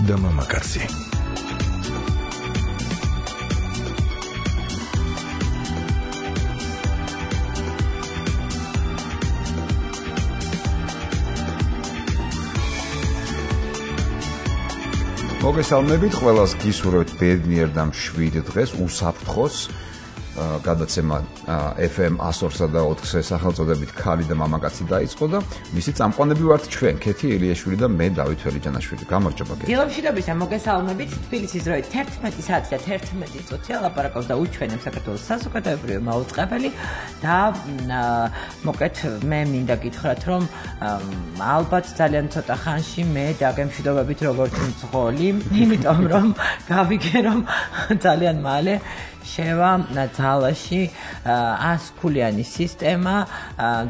და მამაკაცი. მოგესალმებით ყველას, გისურვებთ ბედნიერ და მშვიდ დღეს, უსაფრთხოს გადაცემა FM 102-სა და 4-ზე სახელწოდებით ქალი და მამაკაცი დაიწყო და მისი წამყვანები ვართ ჩვენ, ქეთი ელიაშვილი და მე დავით ველიჯანაშვილი. გამარჯობა ქეთი. დილომშვიდობისა მოგესალმებით. თბილისის დროით 11 საათი და 11 წუთია ლაპარაკობს და უჩვენებს საქართველოს საზოგადოებრივი მაუწყებელი და მოკეთ მე მინდა გითხრათ, რომ ალბათ ძალიან ცოტა ხანში მე დაგემშვიდობებით როგორც მძღოლი, იმიტომ რომ გავიგე რომ ძალიან მალე შევა ძალაში 100 ქულიანი სისტემა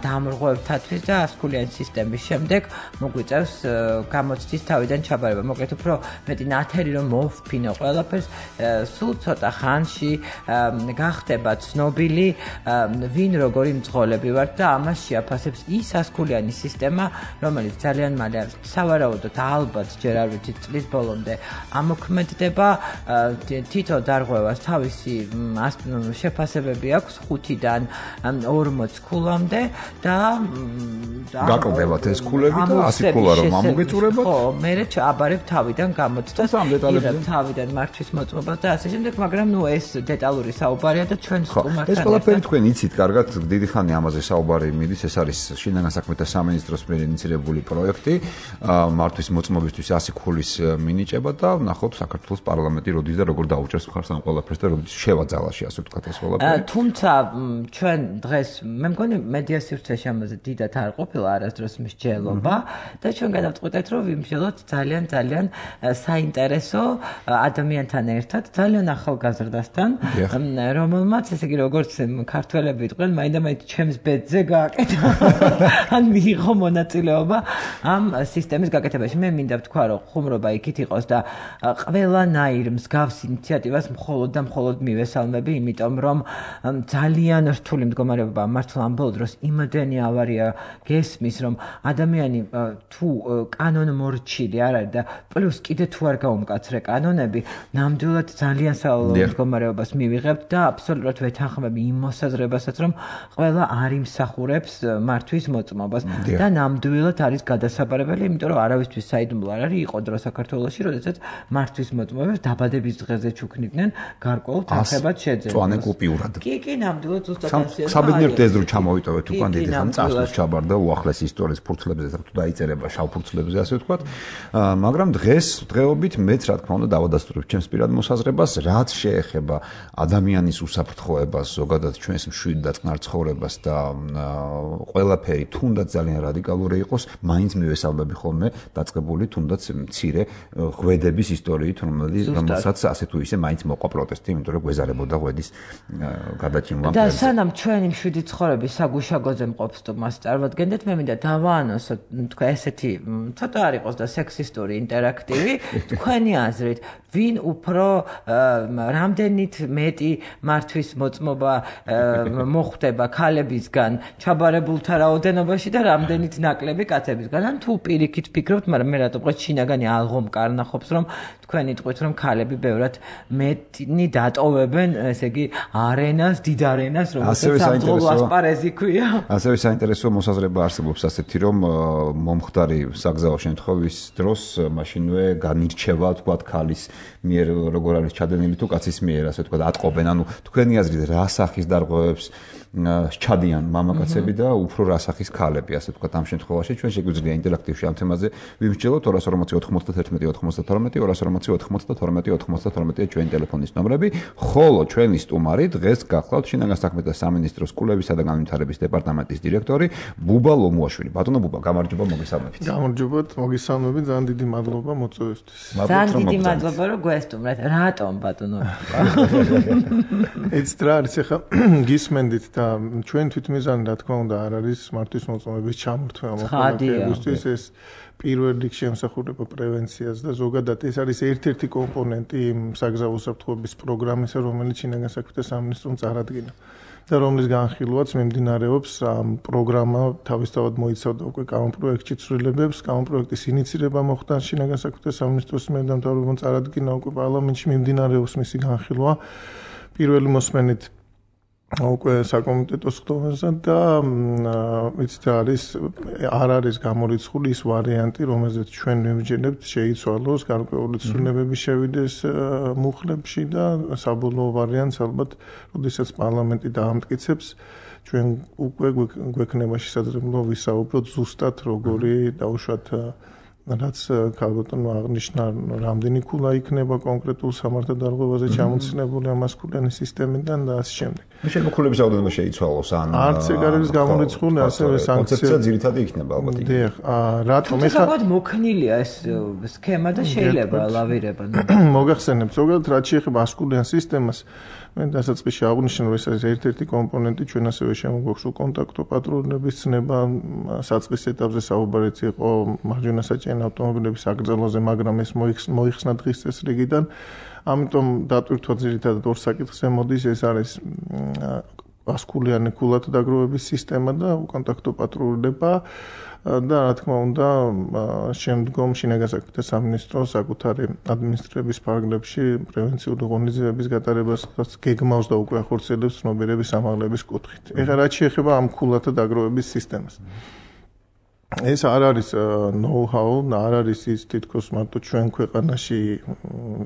დამრღვევთათვის და 100 ქულიანი სისტემის შემდეგ მოგვიწევს გამოცდის თავიდან ჩაბარება. მოკლედ უფრო მეტი ნათელი რომ მოვფინო ყველაფერს, სულ ცოტა ხანში გახდება ცნობილი ვინ როგორი მძღოლები ვართ და ამას შეაფასებს ის 100 ქულიანი სისტემა, რომელიც ძალიან მალე სავარაუდოდ ალბათ ჯერ არ ვიცით წლის ბოლომდე ამოქმედდება. თითო დარღვევას თავისი შეფასებები აქვს 5-დან 40 ქულამდე და გაკლდებათ ეს ქულები და 100 ქულა რომ ამოგეწურებათ. ხო, მე აბარებ თავიდან გამოცდას, თავიდან მართვის მოწმობას და ასე შემდეგ, მაგრამ ეს დეტალური საუბარია და ჩვენ სტუმართან. ეს ყველაფერი თქვენ იცით კარგად, დიდი ხანი ამაზე საუბარი მიდის, ეს არის შინაგან საქმეთა სამინისტროს მიერ ინიციირებული პროექტი, მართვის მოწმობისთვის 100 ქულის მინიჭება და ვნახოთ საქართველოს პარლამენტი როდის და როგორ დაუჭერს მხარს ამ ყველაფერს და როდის შევაძალაში ასე ვთქვათ ეს ყველაფერი. თუმცა ჩვენ დღეს მე მგონი მედია სივრცეში ამაზე დიდად არ ყოფილა არასდროს მსჯელობა და ჩვენ გადავწყვეტეთ რომ ვიმსჯელოთ ძალიან საინტერესო ადამიანთან ერთად, ძალიან ახალგაზრდასთან, რომელმაც ესე იგი როგორც ქართველები იყვნენ, მაინდა-მაინც ჩემს ბედზე გააკეთა ან მიიღო მონაწილეობა ამ სისტემის გაკეთებაში. მე მინდა ვთქვა რომ ხუმრობა იქით იყოს და ყველანაირ მსგავს ინიციატივას მხოლოდ მივესალმები, იმიტომ რომ ძალიან რთული მდგომარეობა მართლა ამ ბოლო დროს იმდენი ავარია გესმის, რომ ადამიანი თუ კანონმორჩილი არ არის და პლუს კიდე თუ არ გაუმკაცრე კანონები, ნამდვილად ძალიან სავალალო მდგომარეობას მივიღებთ და აბსოლუტურად ვეთანხმები იმ მოსაზრებასაც, რომ ყველა არ იმსახურებს მართვის მოწმობას და ნამდვილად არის გადასაბარებელი, იმიტომ რომ არავისთვის საიდუმლო არ არის იყო დრო საქართველოში, როდესაც მართვის მოწმობებს დაბადების დღეზე ჩუქნიდნენ გარკვეულ თანხებად შეძენს. წვანე კუპიურად. კი, ნამდვილად ზუსტად ასეა. საბედნიეროდ ეს დრო ჩამოვიტოვეთ უკან დიდი ხანი წასვლის ჩაბარდა უახლესი ისტორიის ფურცლებზე და თუ დაიწერება შავ ფურცლებზე ასე ვთქვათ. მაგრამ დღეობით მეც რა თქმა უნდა დავადასტურებ ჩემს პირად მოსაზრებას, რაც შეეხება ადამიანის უსაფრთხოებას, ზოგადად ჩვენს მშვიდ და წყნარ ცხოვრებას და ყველაფერი თუნდაც ძალიან რადიკალური იყოს, მაინც მივესალმები ხოლმე დაწყებული თუნდაც მცირე ღვედების ისტორიით, რომელსაც ასე თუ ისე მაინც მოყვა პროტესტი, იმიტომ რომ გვეზარებოდა ღვედის გადაჭიმვა. და სანამ ჩვენი მშვიდი ცხოვრების საგუშაგოზე მყოფ სტუმარს წარმოადგენდეთ, მე მინდა დავაანონსო, თქვა ესეთი ცოტა არ იყოს და სექსისტური ინტერაქტივი, თქვენი აზრით, ვინ უფრო რამდენით მეტი მართვის მოწმობა მოხდება ქალებისგან ჩაბარებულთა რაოდენობაში და რამდენით ნაკლები კაცებისგან? ან თუ პირიქით ფიქრობთ, მაგრამ მე რატომ ყო შინაგანი ალღომ კარნახობს, რომ თქვენ იტყვით, რომ ქალები ბევრად მეტნი დატოვებენ, ესე იგი, არენას, დიდ არენას, რომელსაც სამძღოლო ასპარეზი ქვია. ასევე საინტერესო მოსაზრება არსებობს ასეთი, რომ მომხდარი საგზაო შემთხვევის დროს მაშინვე განირჩევა, თქვათ, ქალის მიერ როგორ არის ჩადენილი თუ კაცის მიერ, ასე ვთქვათ, ატყობენ. ანუ თქვენი აზრით რა სახის დარღვევებს ჩადიან მამაკაცები და უფრო რა სახის ქალები, ასე ვთქვათ, ამ შემთხვევაში ჩვენ შეგვიძლია ინტერაქტივში ამ თემაზე ვიმსჯელოთ 240-91-92-92 ჩვენი ტელეფონის ნომრები, ხოლო ჩვენი სტუმარი დღეს გახლავთ შინაგან საქმეთა სამინისტროს კულევისა და განვითარების დეპარტამენტის დირექტორი ბუბა ლომუაშვილი. ბატონო ბუბა, გამარჯობა, მოგესალმებით. გამარჯობათ, მოგესალმებით, ძალიან დიდი მადლობა მოწვევისთვის. ძალიან დიდი მადლობა, რომ გვესტუმრეთ. რატომ ბატონო? ეს რა არის, ახლა გისმენდით და ეხლა ჩვენ თვითმიზანი რა თქმა უნდა არ არის მართვის მოწმობის ჩამორთმევა მოქალაქეებისთვის ეს პირველ რიგში ემსახურება პრევენციას და ზოგადად ეს არის ერთ-ერთი კომპონენტი იმ საგზავნო უსაფრთხოების პროგრამისა, რომელიც შინაგან საქმეთა სამინისტრომ წარადგინა და რომლის განხილვაც მიმდინარეობს პროგრამა თავისთავად მოიცავდა უკვე კანონპროექტში ცვლილებებს, კანონპროექტის ინიცირება მოხდა შინაგან საქმეთა სამინისტროს მიერ და მთავრობამ წარადგინა უკვე პარლამენტში მიმდინარეობს მისი განხილვა პირველი მოსმენით უკვე საკომიტეტო სხდომაზე და იცით არ არის გამორიცხული ის ვარიანტი, რომელზეც ჩვენ მივიჯერებთ შეიცვალოს გარკვეული ცვლილებები შევიდეს მუხლებში და საბოლოო ვარიანტს ალბათ, როდესაც პარლამენტი დაამტკიცებს, ჩვენ უკვე გვექნება შესაძლებლობა ვისაუბროთ ზუსტად როგორი დაუშვათ რაც ქალბატონმა აღნიშნა, რამდენი ქულა იქნება კონკრეტულ სამართალდარღვევაზე ჩამოცილებული ამასკულიანი სისტემიდან და ასე შემდეგ. შემოქულების რაოდენობა შეიცვალოს ან არც ეგ არის გამორიცხული, ასევე კონცეფცია ძირითადი იქნება ალბათ. დიახ, რატომ ეხლა მოქნილია ეს სქემა და შეიძლება ლავირება. მოგახსენებთ, ზოგადად რაც შეეხება ასკულიან სისტემას მე დასაწყისში აღნიშნე, რომ ეს არის ერთ-ერთი კომპონენტი, ჩვენ ასევე შემოგვაქვს კონტაქტო პატრულების ცნება, საწყის ეტაპზე საუბარიც იყო მარჯვენა საჭირო ავტომობილების აკრძალვაზე, მაგრამ ეს მოიხსნა დღის წესრიგიდან. ამიტომ დატვირთვა ძირითადად ორ საკითხს ემოდის, ეს არის ასკულიანი ქულათა დაგროვების სისტემა და კონტაქტო პატრულება და რა თქმა უნდა შემდგომ შინაგან საქმეთა სამინისტრო საკუთარი ადმინისტრების ფარგლებში პრევენციული ღონისძიებების გატარებას გეგმავს და უკვე ახორციელებს ცნობიერების ამაღლების კუთხით. ეხლა რაც შეეხება ამ ქულათა დაგროვების სისტემას. ეს არ არის know-how, არ არის ის თითქოს მარტო ჩვენ ქვეყანაში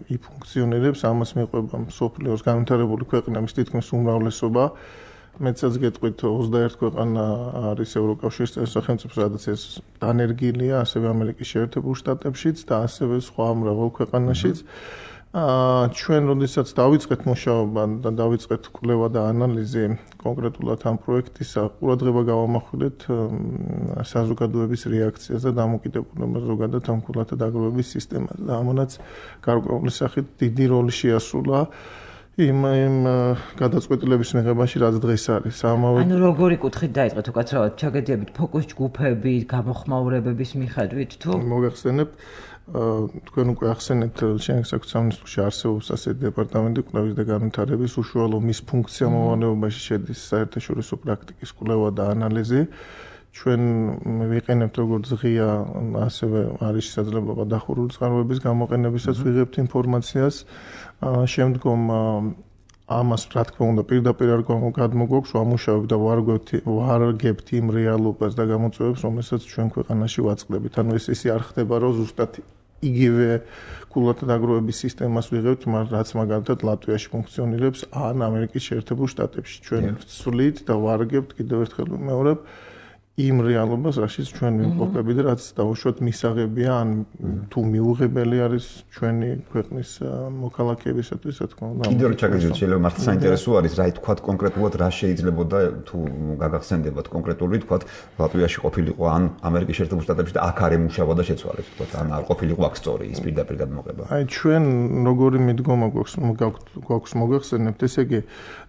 იფუნქციონირებს, ამას მიყვება მსოფლიოს განვითარებული ქვეყნების თითქმის უმრავლესობა. მეცაც გეტყვით 21 ქვეყანა არის ევროკავშირის სახელმწიფო, სადაც ეს დანერგილია, ასევე ამერიკის შეერთებულ შტატებშიც და ასევე სხვა მრავალ ქვეყანაშიც. ჩვენ როდესაც დავიწყეთ მუშაობა და დავიწყეთ კვლევა და ანალიზი კონკრეტულად ამ პროექტისა, ყურადღება გავამახვილეთ საზოგადოების რეაქციას და დამოკიდებულებას ზოგადად ამ ქულათა დაგროვების სისტემაზე და ამანაც გარკვეული სახით დიდი როლი შეასრულა იმ გადაწყვეტილების მიღებაში, რაც დღეს არის. ანუ როგორი კუთხით დაიწყეთ უკაცრავად ჩაგედიებით ფოკუს ჯგუფები, გამოხმაურებების მიხედვით თუ მოგახსენებთ თქვენ უკვე ახსენეთ შინაგან საქმეთა სამინისტროში არსებობს ასეთი დეპარტამენტი კვლევის და განვითარების უშუალო მის ფუნქცია მოვალეობაში შედის საერთაშორისო პრაქტიკის კვლევა და ანალიზი. ჩვენ ვიყენებთ როგორც ღია, ასევე არის შესაძლებლობა დახურული წყაროების გამოყენებისაც ვიღებთ ინფორმაციას. შემდგომ ამას რა თქმა უნდა პირდაპირ არ გადმოგვაქვს, ვამუშავებთ და ვარგებთ იმ რეალობას და გამოწვევებს, რომელსაც ჩვენ ქვეყანაში ვაწყდებით. ანუ ესე არ ხდება, რომ ზუსტად იგივე ქულათა დაგროვების სისტემას ვიღებთ, რაც მაგალითად ლატვიაში ფუნქციონირებს ან ამერიკის შეერთებულ შტატებში. ჩვენ ვცვლით და ვარგებთ კიდევ ერთხელ ვიმეორებ იმ რეალობას, რაშიც ჩვენ ვიმყოფები და რაც დაუშვათ მისაღებია, ან თუ მიუღებელი არის ჩვენი ქვეყნის მოქალაქეებისათვის, რა თქმა უნდა. კიდევ რა ჩაგეძიოთ, შეიძლება მართლა საინტერესო არის, რა თქვათ კონკრეტულად რა შეიძლებოდა თუ გაგახსენდებათ კონკრეტული თქვათ ლატვიაში ყოფილიყო ან ამერიკის შეერთებულ შტატებში და აქ არ ემუშავა და შეცვალეთ, თქვათ ან არ ყოფილიყო აქ სწორი ის პირდაპირ გადმოღება. აი ჩვენ როგორი მიდგომა გვაქვს მოგახსენებთ, ესე იგი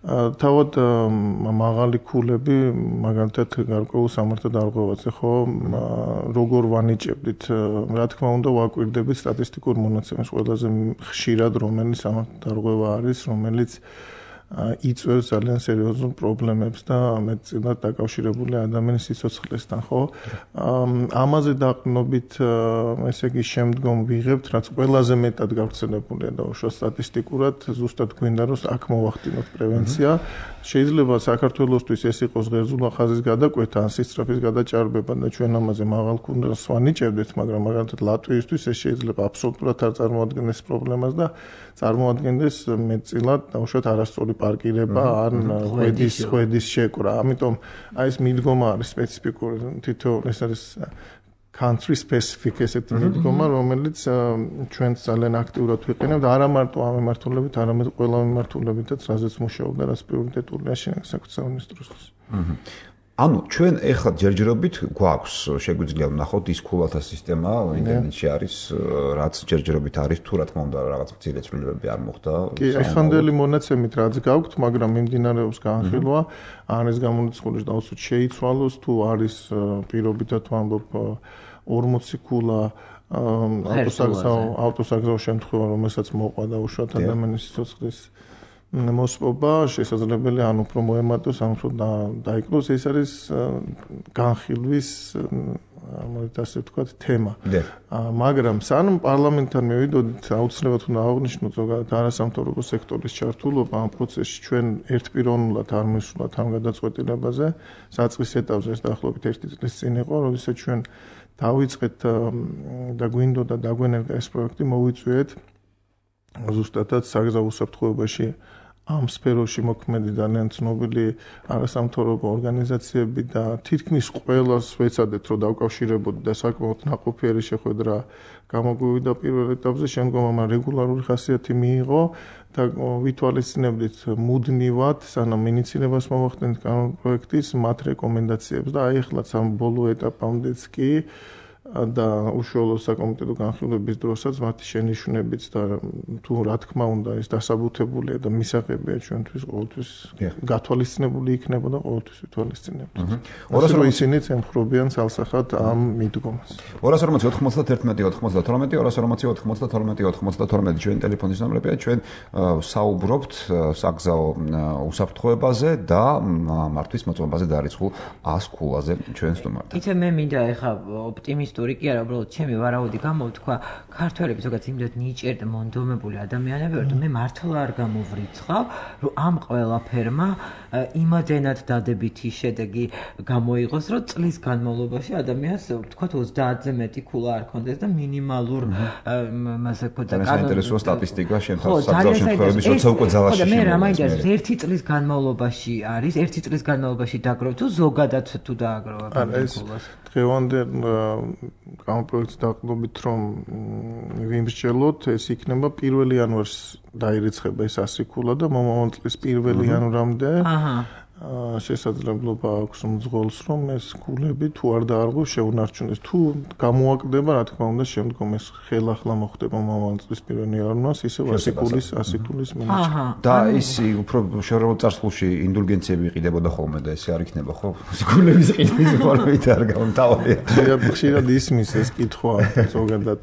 თავად მაღალი ქულები მაგალითად გარკვეულ სამართალდარღვევაზე ხო როგორ ვანიჭებდით, რა თქმა უნდა ვაკვირდებით სტატისტიკურ მონაცემებს ყველაზე ხშირად რომელიც სამართალდარღვევა არის, რომელიც იწვევს ძალიან სერიოზულ პრობლემებს და მეტწილად დაკავშირებული ადამიანის სიცოცხლესთან, ხო? ამაზე დაყრდნობით, ესე იგი შემდგომ ვიღებთ, რაც ყველაზე მეტად გავრცელებულია და უშუალოდ სტატისტიკურად, ზუსტად გვინდა რომ აქ მოვახდინოთ პრევენცია. შეიძლება საქართველოსთვის ეს იყოს ღერძულა ხაზის გადაკვეთა ან სისწრაფის გადაჭარბება და ჩვენ ამაზე მაღალ ქულას ვანიჭებდით, მაგრამ მაგალითად ლატვიისთვის ეს შეიძლება აბსოლუტურად არ წარმოადგენდეს პრობლემას და წარმოადგენდეს მეტწილად უშუალოდ არასწორი პარკირება ან ხვედის შეკვრა. ამიტომ აი ეს მიდგომა არის სპეციფიკური, თითო ეს არის country specific ესეთი მიდგომა, რომელიც ჩვენ ძალიან აქტიურად ვიყენებთ, არა მარტო ამ მიმართულებით, არამედ ყველა მიმართულებითაც, რაზეც მუშაობდა, რაც პრიორიტეტულია შინაგან საქმეთა სამინისტროსთვის. ანუ ჩვენ ეხლა ჯერჯერობით გვაქვს შეგვიძლია ვნახოთ ის ქულათა სისტემა ინტერნეტში არის რაც ჯერჯერობით არის თუ რა თქმა უნდა რაღაც მცირე ცვლილებები არ მოხდა კი ეხანდელი მონაცემით რაც გაქვთ მაგრამ მიმდინარეობს განხილვა არის გამონაცხადი დაუცოთ შეიცვალოს თუ არის პირობითად ვამბობ 40 ქულა ავტოსაგზაო შემთხვევა რომელსაც მოყვა და უშუალოდ ადამიანის სიცოცხლის მოსპობა შესაძლებელი ან უფრო მოემატოს ან უფრო დაიკლოს ეს არის განხილვის მოდით ასე ვთქვათ თემა მაგრამ სანამ პარლამენტთან მივიდოდით აუცილებლად უნდა აღვნიშნოთ ზოგადად არასამთავრობო სექტორის ჩართულობა ამ პროცესში ჩვენ ერთპიროვნულად არ მივსვლათ ამ გადაწყვეტილებაზე საწყის ეტაპზე ეს დაახლოებით 1 წლის წინ იყო როდესაც ჩვენ დავიწყეთ და გვინდოდა დაგვენერგა ეს პროექტი მოვიწვიეთ ზუსტადად საგზაო უსაფრთხოებაში ამ სფეროში მოქმედი ძალიან ცნობილი არასამთავრობო ორგანიზაციები და თითქმის ყველას ვეცადეთ რომ დავკავშირებოდი და საკმაოდ ნაყოფიერი შეხვედრა გამოგვივიდა პირველ ეტაპზე შემდგომ ამან რეგულარული ხასიათი მიიღო და ვითვალისწინებდით მუდმივად სანამ ინიციირებას მოვახდენთ კანონ პროექტის მათ რეკომენდაციებს და აი ახლა სამ ბოლო ეტაპამდეც კი და უშუალო საკომიტეტო განხილვების დროსაც მათი შენიშვნებიც და თუ რა თქმა უნდა ეს დასაბუთებულია და მისაღებია ჩვენთვის ყოველთვის გათვალისწინებული იქნება და ყოველთვის ვითვალისწინებთ. 240 ისინიც ემხრობიან ცალსახად ამ მიდგომას. 240 91 92 240 ჩვენ ტელეფონის ნომრებია ჩვენ საუბრობთ საგზაო უსაფრთხოებაზე და მართვის მოწმობაზე დარიცხულ 100 ქულაზე ჩვენ სტუმართან. იცი მე მინდა ეხა ოპტიმისტ ისტორიკი არა, უბრალოდ ჩემი ვარაუდი გამოვთქვა, ქართველები ზოგადად იმდენად ნიჭიერ და მონდომებული ადამიანები ვართ, მე მართლა არ გამოვრიცხავ, რომ ამ ყველაფერმა იმადენად დადებითი შედეგი გამოიღოს, რომ წლის განმავლობაში ადამიანს ვთქვათ 30-ზე მეტი ქულა არ ქონდეს და მინიმალურ მასე ქოთა საინტერესო სტატისტიკა შემთხვევაში საგზაო შემთხვევების როცა უკვე ძალაში მე რა მაინტერესებს 1 წლის განმავლობაში არის 1 წლის განმავლობაში დაგროვ თუ ზოგადად თუ დააგროვა ქულას დღევანდელ კანონპროექტს დაყრდნობით რომ ვიმსჯელოთ ეს იქნება 1 იანვარს დაირიცხება ეს 100 ქულა და მომავალ წლის 1 იანვრამდე შესაძლებლობა აქვს მძღოლს რომ ეს ქულები თუ არ დაარღვევს შეუნარჩუნდეს თუ გამოაკდება რა თქმა უნდა შემდგომ ეს ხელახლა მოხდება მომავალ წლის 1 იანვარს ისე 100 ქულის მინიჭება და ის უფრო შეურაცხმო წარსულში ინდულგენციები იყიდებოდა ხოლმე და ესე არ იქნება ხო ქულების ყიდვის ფორმით არ გამთავარია ხშირად ისმის ეს კითხვა ზოგადად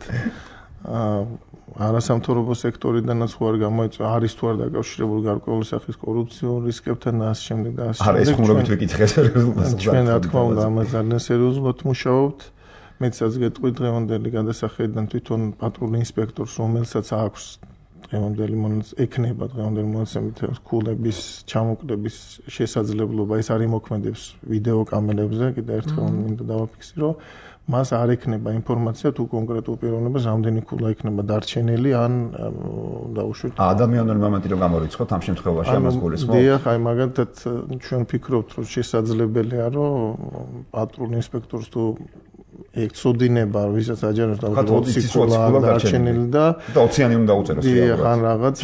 არასამთავრობო სექტორიდანაც ხო არ გამოიწვა არის თუ არ დაკავშირებული გარკვეული სახის კორუფციულ რისკებთან და ასე შემდეგ და ასე შემდეგ. არის ხუმრობით ვიკითხეთ რეზულტატს. ჩვენ რა თქმა უნდა ამას ძალიან სერიოზულად მუშაობთ. მეცაც გეტყვით დღევანდელი გადასახედიდან თვითონ პატრული ინსპექტორს რომელსაც აქვს დღევანდელი ექნება დღევანდელი მონაცემით ქულების ჩამოკლების შესაძლებლობა ეს არის მოქმედებს ვიდეო კამერებზე კიდე ერთხელ მინდა დავაფიქსირო მას არ ექნება ინფორმაცია თუ კონკრეტულ პიროვნებას რამდენი ქულა იქნება დარჩენილი ან დაუშვით ადამიანური მომენტი რომ გამორიცხოთ ამ შემთხვევაში ამას გულისხმობ. დიახ, აი მაგალითად ჩვენ ვფიქრობთ რომ შესაძლებელია რომ პატრულ ინსპექტორს თუ ეკცოდინება ვისაც აჯანოს და 20 ქულა დარჩენილი და 20-იანი უნდა უწეროს. დიახ, ან რაღაც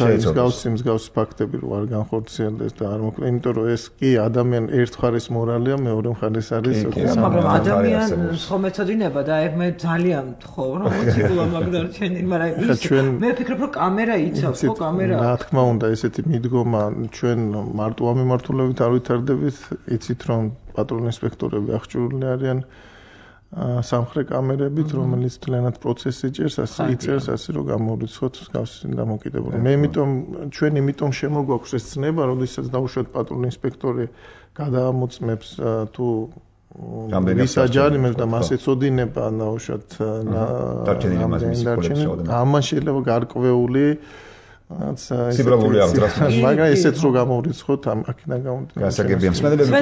მსგავსი ფაქტები რო არ განხორციელდეს და არ მოკლე, იმიტომ რომ ეს კი ადამიან ერთხარის მორალია, მეორე მხარეს არის მაგრამ ადამიანს ხომ ეცოდინება და მე ძალიან თხოვ რომ 20 ქულა მაგდარჩენილი, მაგრამ ის მე ვფიქრობ რომ კამერა იცავს, ხო კამერა. რა თქმა უნდა, ესეთი მიდგომა ჩვენ მარტო ამ მიმართულებით არ ვითარდებით, იცით რომ პატრულ ინსპექტორები აღჭურვილი არიან სამხრე კამერებით, რომელიც თლიანად პროცესს იჭერს, ასე იწერს, ასე რომ გამორიცხოთ მსგავსი დამოკიდებულება. მე ჩვენ იმიტომ შემოგვაქვს ეს ცნება, როდესაც დაუშვათ პატრული ინსპექტორი გადაამოწმებს თუ ვის აჯარიმებს და მას ეცოდინება დაუშვათ დარჩენილი ამან შეიძლება გარკვეული სიბრალული აღძრას მაგრამ ესეც რო გამორიცხოთ აქედან გამომდინარე გასაგებია მსმენელები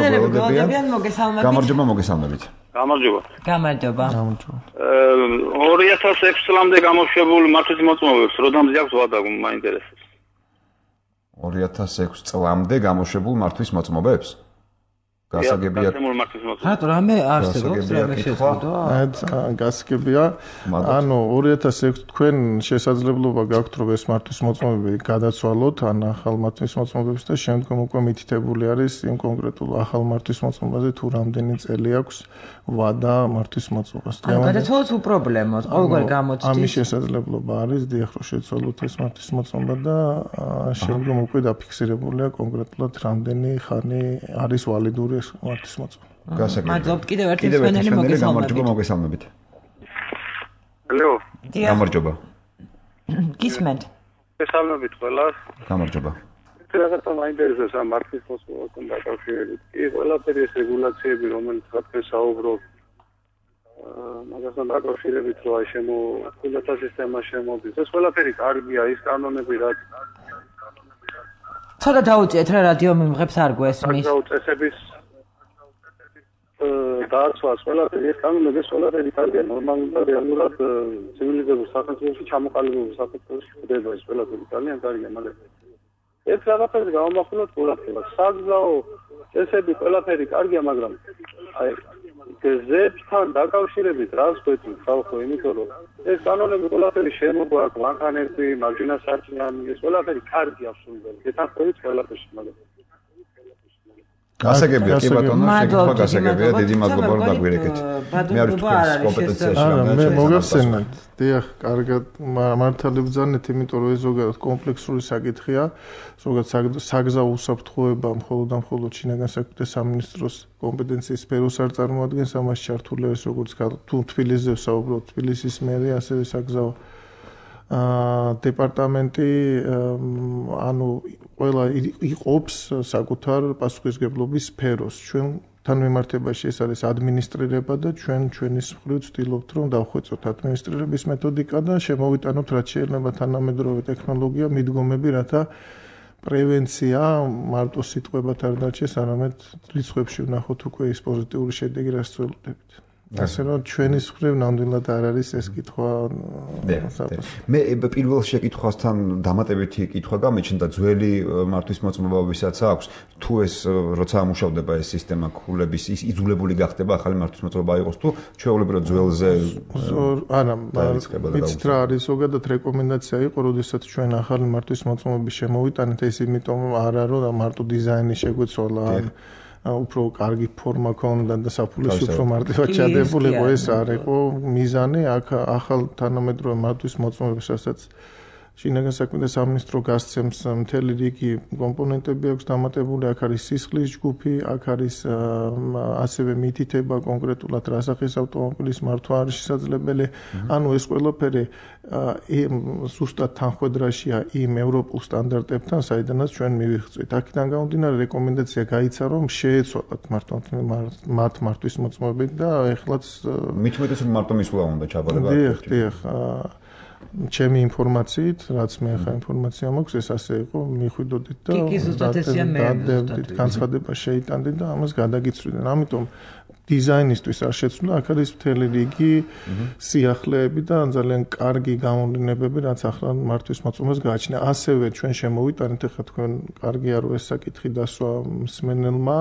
მოგესალმებით გამარჯობა გამარჯობა 2006 წლამდე გამოშვებული მართვის მოწმობებს როდამზე აქვს ვადაგო მაინტერესებს 2006 წლამდე გამოშვებულ მართვის მოწმობებს გასაგებია. რატო რამე არსებობს რამე შეცდო? გასაგებია. ანუ 2006 თქვენ შესაძლებლობა გაქვთ რომ ეს მართვის მოწმობები გადაცვალოთ ან ახალ მართვის მოწმობებს და შემდგომ უკვე მითითებული არის იმ კონკრეტულ ახალ მართვის მოწმობაზე თუ რამდენი წელი აქვს ვადა მართვის მოწმობას. ანუ გადაცვალოთ უპრობლემოდ, ყოველგვარ გამოცდის. ამის შესაძლებლობა არის დიახ რომ შეცვალოთ ეს მართვის მოწმობა და შემდგომ უკვე დაფიქსირებულია კონკრეტულად რამდენი ხანი არის ვალიდური ეს მართვის მოწმობა. მადლობთ კიდევ ერთი მსმენელი მოგესალმებით. ალო. გამარჯობა. გისმენთ. მოგესალმებით ყველას. გამარჯობა. რაღაცა მაინტერესებს ამ მართვის მოწმობასთან დაკავშირებით. კი, ყველაფერი ეს რეგულაციები, რომელიც თქვენ საუბრობთ, მაგასთან დაკავშირებით რა ხილათა სისტემა შემოდის. ეს ყველაფერი კარგია, ის კანონები რაც ცოტა დაუწიეთ რა რადიო მიმღებს არ გვესმის. წესების დააცვას ყველაფერი ეს კანონები ეს ყველაფერი კარგია, ნორმალურად და რეალურად ცივილიზებულ სახელმწიფოში ჩამოყალიბებულ სახელმწიფოში ხდება ეს ყველაფერი ძალიან კარგია, მაგრამ ეს რაღაცები გამომახვილოთ ყურადღებას. საგზაო წესები ყველაფერი კარგია, მაგრამ აი გზებთან დაკავშირებით რას გვეწევთ ხალხო, იმიტომ რომ ეს კანონები ყველაფერი შემოგვაქვს, მანქანები, მაჯინასარჭიანი, ეს ყველაფერი კარგია სულდელი. ეთანხმებით ყველაფერში, მაგრამ გასაგებია კი ბატონო, შეკითხვა გასაგებია, დიდი მადლობა რომ დაგვირეკეთ. მე არ ვთქვი კომპეტენციაში მე მოგახსენეთ. დიახ, კარგად მართალი ბრძანეთ, იმიტომ რომ ეს ზოგადად კომპლექსური საკითხია. ზოგადად საგზაო უსაფრთხოება მხოლოდ შინაგან საქმეთა სამინისტროს კომპეტენციის სფეროს არ წარმოადგენს, ამას ჩართული არის როგორც თუ თბილისზე ვსაუბრობთ, თბილისის მერია, ასევე საგზაო დეპარტამენტი ანუ ყველა იყოფს საკუთარ პასუხისგებლობის სფეროს. ჩვენთან მიმართებაში ეს არის ადმინისტრირება და ჩვენის მხრივ ვცდილობთ რომ დავხვეწოთ ადმინისტრირების მეთოდიკა და შემოვიტანოთ რაც შეიძლება თანამედროვე ტექნოლოგია, მიდგომები, რათა პრევენცია მარტო სიტყვებად არ დარჩეს, არამედ რიცხვებში ვნახოთ უკვე ის პოზიტიური შედეგი, რაც ვცდილობთ. ასე რომ ჩვენის მხრივ ნამდვილად არ არის ეს კითხვა. მე პირველ შეკითხვასთან დამატებითი კითხვა გამეჩნდა ძველი მართვის მოწმობა ვისაც აქვს თუ ეს როცა ამუშავდება ეს სისტემა ქულების ის იძულებული გახდება ახალი მართვის მოწმობა იყოს თუ ჩვეულებრივ ძველზე არა ვიცით რა არის ზოგადად რეკომენდაცია იყო როდესაც ჩვენ ახალი მართვის მოწმობები შემოვიტანეთ ეს იმიტომ არა რომ მარტო დიზაინი შეგვეცვალა უფრო კარგი ფორმა ქონდა და საფულის უფრო მარტივად ჩადებული იყო ეს არ იყო მიზანი აქ ახალ თანამედროვე მართვის მოწმობებს რასაც შინაგან საქმეთა სამინისტრო გასცემს მთელი რიგი კომპონენტები აქვს დამატებული აქ არის სისხლის ჯგუფი აქ არის ასევე მითითება კონკრეტულად რა სახის ავტომობილის მართვა არის შესაძლებელი ანუ ეს ყველაფერი ზუსტად თანხმედრაშია იმ ევროპულ სტანდარტებთან საიდანაც ჩვენ მივიღწევთ აქედან გამომდინარე რეკომენდაცია გაიცა რომ შეეცვალათ მათ მართვის მოწმობები და ეხლაც მithumetes რომ მარტო მისვლა უნდა ჩაბარება დიახ ჩემი ინფორმაციით, რაც მე ახლა ინფორმაცია მაქვს, ეს ასე იყო, მიხვიდოდით და დადევდით, განცხადება შეიტანდით და ამას გადაგიცვლიდან. ამიტომ დიზაინისტვის არ შეცვლა, აქ არის მთელი რიგი სიახლეები და ძალიან კარგი გამოვლინებები, რაც ახლა მართვის მოწმობას გააჩნია. ასევე ჩვენ შემოვიტანეთ, ახლა თქვენ კარგია რომ ეს საკითხი დასვა მსმენელმა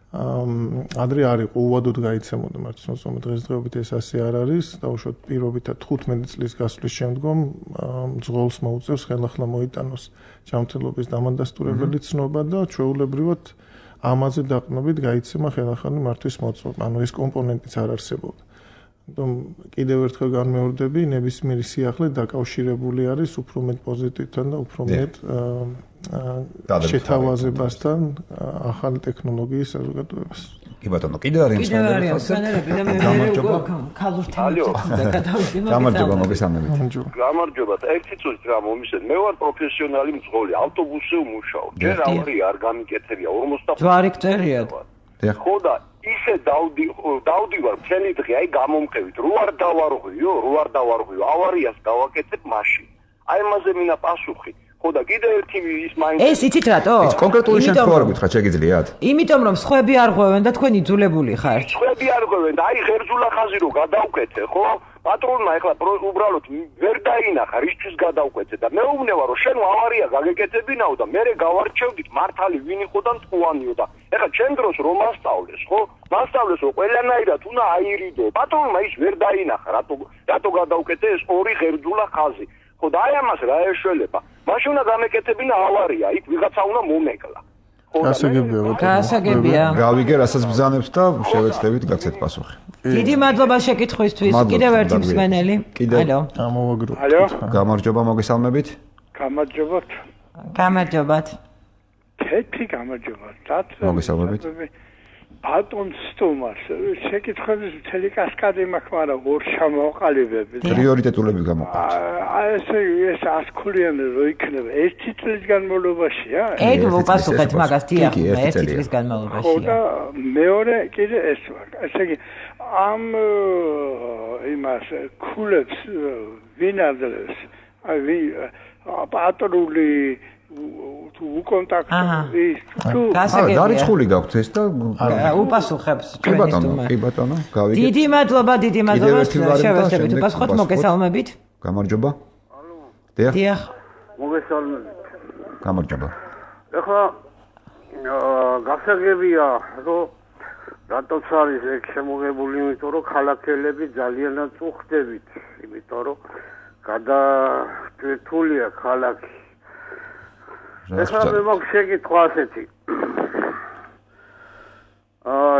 ადრე არ იყო უვადოდ გაიცემოდა მართვის მოწმობა დღესდღეობით ეს ასე არ არის დაუშვათ პირობითად 15 წლის გასვლის შემდგომ ძღოლს მოუწევს ხელახლა მოიტანოს ჯანმრთელობის დამადასტურებელი ცნობა და ჩვეულებრივად ამაზე დაყრდნობით გაიცემა ხელახალი მართვის მოწმობა ანუ ეს კომპონენტიც არ არსებობდა ამიტომ კიდევ ერთხელ განმეორდები ნებისმიერი სიახლე დაკავშირებული არის უფრო მეტ პოზიტივთან და უფრო მეტ შეთავაზებასთან ახალი ტექნოლოგიის საზოგადოებას. კი ბატონო, კიდევ არის მსმენელები და მე ქალურ თემებზე გადავიდე. გამარჯობა, მოგესალმებით. გამარჯობა. ერთი წუთი რა მომისმენ. მე ვარ პროფესიონალი მძღოლი, ავტობუსზე ვმუშაობ. ჯერ ავარია არ გამიკეთებია 45. ჯვარი გწერიათ. ხო და ისე დავდივარ მთელი დღე, აი გამომყევით. რო არ დავარღვიო, ავარიას გავაკეთებ მაშინ. აი ამაზე მინა პასუხი. ხო და კიდე ერთი ის მაინც ეს იცით რატო? კონკრეტული შემთხვევა გითხრათ, შეგიძლიათ? იმიტომ რომ სხვები არ ღვევენ და თქვენ იძულებული ხართ. სხვები არ ღვევენ და აი ღერძულა ხაზი რო გადავკეთე, ხო? პატრონმა ეხლა უბრალოდ ვერ დაინახა, რისთვის გადავკეთე და მეუბნება რომ შენ ავარია გაგეკეთებინაო და მე გავარჩევდით მართალი ვინ იყო და მტყუანიო და ეხლა ჩემ დროს რომ მასწავლეს, ხო? მასწავლეს რომ ყველანაირად უნდა აირიდო. პატრონმა ის ვერ დაინახა, რატო გადავკეთე ეს ორი ღერძულა ხაზი. ხო და აი ამას რა ეშველება? მაშინ უნდა გამეკეთებინა ავარია, იქ ვიღაცა უნდა მომეკლა. გასაგებია. გავიგე, რასაც ბრძანებთ და შევეცდებით გაგცეთ პასუხი. დიდი მადლობა შეკითხვისთვის. კიდევ ერთი მსმენელი. ალო. ამოვაგროვოთ. ალო. გამარჯობა, მოგესალმებით. გამარჯობათ. გამარჯობათ. თეთრი გამარჯობათ. მოგესალმებით. ბატონ სტუმარს შეკითხვების მთელი კასკადი მაქვს, მაგრამ ორ ჩამოვყალიბებ. პრიორიტეტულები გამოყვანთ. ეს 100 ქულიანი რო იქნება, 1 წლის განმავლობაშია? ეგ მოპასუხეთ მაგას, დიახ, 1 წლის განმავლობაშია. ხო და მეორე კიდე ეს ვარ. ესე იგი ამ იმას ქულებს ვინ აძლევს? აი პატრული თუ უკონტაქტო ის თუ დარიცხული გაქვთ ეს და უპასუხებს ჩვენი სტუმარი. კი ბატონო, გავიგეთ. დიდი მადლობა, შევეცდებით უპასუხოთ, მოგესალმებით. გამარჯობა. ალო. დიახ. მოგესალმებით. გამარჯობა. ეხლა გასაგებია, რომ რატოც არის ეგ შემოღებული, იმიტომ რომ ქალაქელები ძალიანაც უხდებით, იმიტომ რომ გადაჭრთულია ქალაქი. ეხლა მე მაქვს შეკითხვა ასეთი.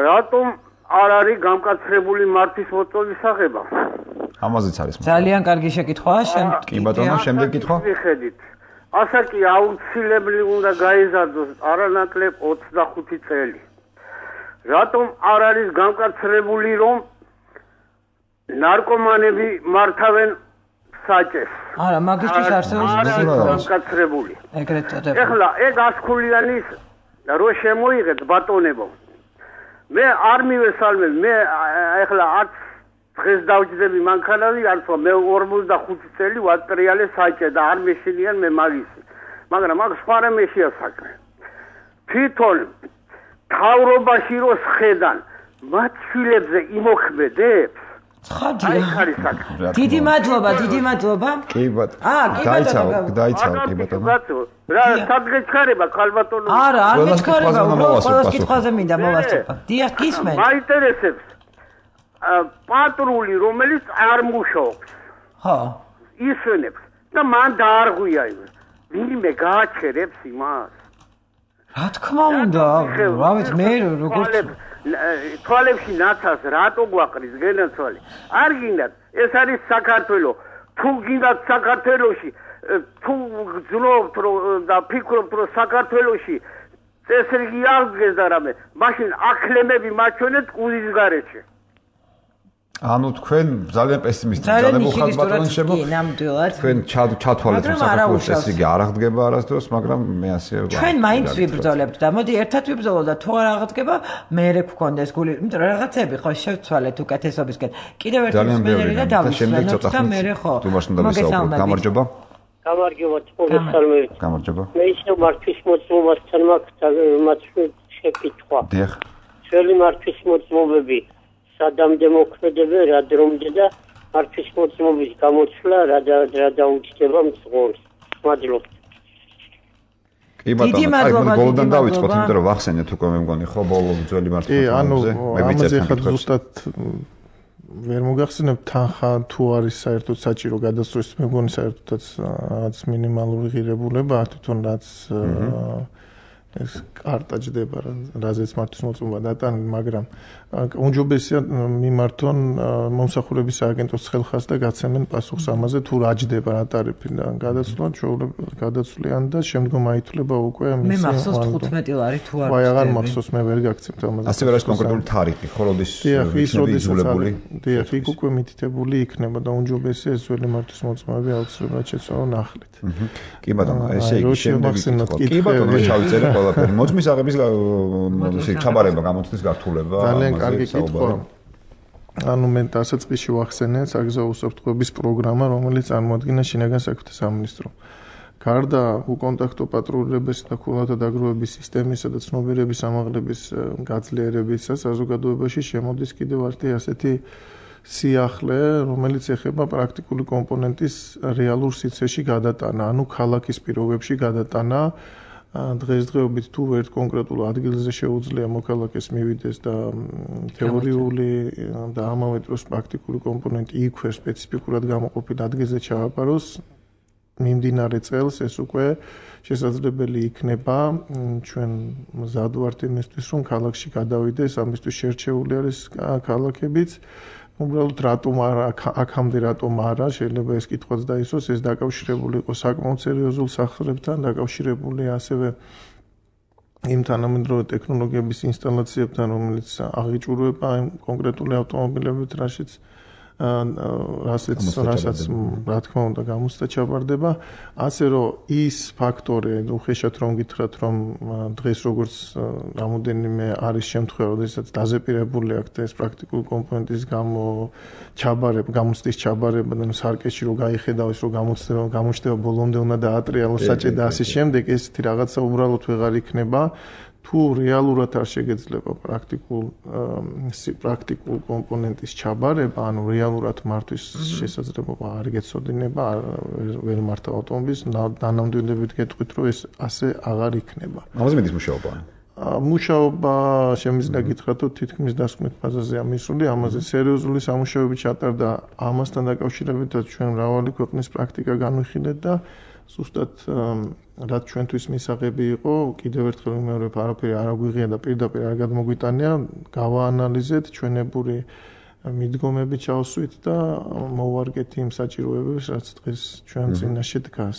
რატომ არ არის გამკაცრებული მართვის მოწოლის აღება? ამაზეც არის. ძალიან კარგი შეკითხვაა. კი ბატონო, შემდეგ კითხვა. მიხედით. ასაკი აუცილებლად უნდა გაიზარდოს არანაკლებ 25 წელი. რატომ არ არის გამკაცრებული, რომ ნარკომანები მართავენ საჭეს? არა, მაგისთვის არსებობს გამკაცრებული. ეგრეთ წოდებული. ეხლა ეგ 100 ქულიანის რო შემოიღეთ ბატონებო. მე არ მივესალმებ, მე ეხლა არც დღეს დავჯდები მანქანაზე, არც მე 45 წელი ვატრიალე საჭე და არ მეშინიან მე მაგისი. მაგრამ მაგ სხვა რამეშია საქმე. თვითონ თავრობაში რო სხედან, მათ შვილებზე იმოქმედებს. ცხადია. დიდი მადლობა. კი ბატონო. დაიცავ, კი ბატონო. რა სადღეჩქარება ქალბატონო? არა, არ მეჩქარება, უბრალოდ კითხვაზე მინდა მოვასწრაფო. დიახ, გისმენ. მაინტერესებს პატრული, რომელიც არ მუშაობს. ხო. ისვენებს და მან დაარღვია იმ. ვინმე გააჩერებს იმას? რა თქმა უნდა, რა ვიცი მე როგორც თვალებში ნაცას რატო გვაყრის გენაცვალი? არ გინდათ, ეს არის საქართველო. თუ გინდათ საქართველოში, თუ გძნობთ და ფიქრობთ რომ საქართველოში წესრიგი არ გდგეს და რამე, მაშინ აკლემები მაჩვენეთ კუდის გარეშე. ანუ თქვენ ძალიან პესიმისტები ძალებულ ხართ ბატონო შემო. კი, ნამდვილად. თქვენ ჩათვალეთ რომ საქართველოს წესრიგი არ აღდგება არასდროს, მაგრამ მე ასე ვარ. ჩვენ მაინც ვიბრძოლებთ და მოდი ერთად ვიბრძოლოთ და თუ არ აღდგება, მე გქონდეს გული, იმიტომ რომ რაღაცები ხო შევცვალეთ უკეთესობისკენ. კიდევ ერთი მსმენელი და დავისვენოთ და მე ხო. გამარჯობა. გამარჯობა, მოგესალმებით. გამარჯობა. მე ისევ მართვის მოწმობასთან მაქვს შეკითხვა. დიახ. ძველი მართვის მოწმობები სადამდე მოქმედებენ, რა დრომდე და მართვის მოწმობის გამოცვლა რა დაუჯდება მძღოლს. მადლობა. კი ბატონო, აი ბოლოდან დავიწყოთ, იმიტომ რომ ვახსენეთ უკვე მე მგონი ხო ბოლო ძველი მართვის მოწმობებზე. მე ვიცი ხა ზუსტად ვერ მოგახსენებ თანხა თუ არის საერთოდ საჭირო გადასწროს, მე მგონი საერთოდაც რაღაც მინიმალური ღირებულება თვითონ რაც ეს კარტა ჯდება, რაზეც მართვის მოწმობა დატანილი, მაგრამ უმჯობესია მიმართონ მომსახურების სააგენტოს ხელხას და გაცემენ პასუხს ამაზე თუ რა ჯდება რა ტარიფი და გადაცვლიან და შემდგომ აითვლება უკვე მისი მე მახსოვს 15 ლარი თუ არ ვაი აღარ მახსოვს მე ვერ გაგცემთ ამაზე ასე ვერ არის კონკრეტული თარიფი ხო როდის იძულებული დიახ იქ უკვე მითითებული იქნება და უმჯობესია ეს ძველი მართვის მოწმობები აუცილებლად შეცვალონ ახლით კი ბატონო ესე იგი შემდეგი კი ბატონო ჩავიწერე ყველაფერი მოწმის აღების ხაბარება გამოწვდის გართულება კარგი კითხვა. ანუ მე დასაწყისში ვახსენე საგზაო უსაფრთხოების პროგრამა, რომელიც წარმოადგენს შინაგან საქმეთა სამინისტრომ. გარდა უკონტაქტო პატრულებისა და ქულათა დაგროვების სისტემისა და ცნობიერების ამაღლების გაძლიერებისა საზოგადოებაში შემოდის კიდევ ერთი ასეთი სიახლე, რომელიც ეხება პრაქტიკული კომპონენტის რეალურ სივრცეში გადატანა, ანუ ქალაქის პირობებში გადატანა. დღესდღეობით თუ ერთ კონკრეტულ ადგილზე შეუძლია მოქალაქეს მივიდეს და თეორიული და ამავე დროს პრაქტიკული კომპონენტი იქვე სპეციფიკურად გამოყოფილ ადგილზე ჩააბაროს, მიმდინარე წელს ეს უკვე შესაძლებელი იქნება. ჩვენ მზად ვართ იმისთვის, რომ ქალაქში გადავიდეს, ამისთვის შერჩეული არის ქალაქებიც. უბრალოდ რატომ არა აქამდე რატომ არა შეიძლება ეს კითხვაც დაისვას, ეს დაკავშირებული იყო საკმაოდ სერიოზულ სახსრებთან, დაკავშირებული ასევე იმ თანამედროვე ტექნოლოგიების ინსტალაციებთან, რომელიც აღიჭურვება იმ კონკრეტული ავტომობილებით, რასაც რა თქმა უნდა გამოცდა ჩაბარდება, ასე რომ ის ფაქტორი, უხეშად რომ გითხრათ, რომ დღეს როგორც რამოდენიმე არის შემთხვევა, როდესაც დაზეპირებული აქვს ეს პრაქტიკული კომპონენტის გამოცდის ჩაბარება და სარკეში რომ გაიხედავ რომ გამოჩნდება ბოლომდე უნდა დაატრიალოს საჭე და ასე შემდეგ, ესეთი რაღაცა უბრალოდ ვეღარ იქნება. თუ რეალურად არ შეგეძლება პრაქტიკულ კომპონენტის ჩაბარება, ანუ რეალურად მართვის შესაძლებლობა არ გეცოდინება, ვერ მართავ ავტომობილს, დანამდვილებით გეტყვით, რომ ეს ასე აღარ იქნება. ამაზე მედის მუშაობა? მუშაობა შემიძლია გითხრათ, რომ თითქმის დასკვნით ფაზაზეა მისული, ამაზე სერიოზული სამუშაოები ჩატარდა, ამასთან დაკავშირებითაც ჩვენ მრავალი ქვეყნის პრაქტიკა განვიხილეთ და ზუსტად რაც ჩვენთვის მისაღები იყო, კიდევ ერთხელ ვიმეორებ, არაფერი არ აგვიღია და პირდაპირ არ გადმოგვიტანია, გავაანალიზეთ, ჩვენებური მიდგომები ჩავსვით და მოვარგეთ იმ საჭიროებებს, რაც დღეს ჩვენ წინაშე დგას.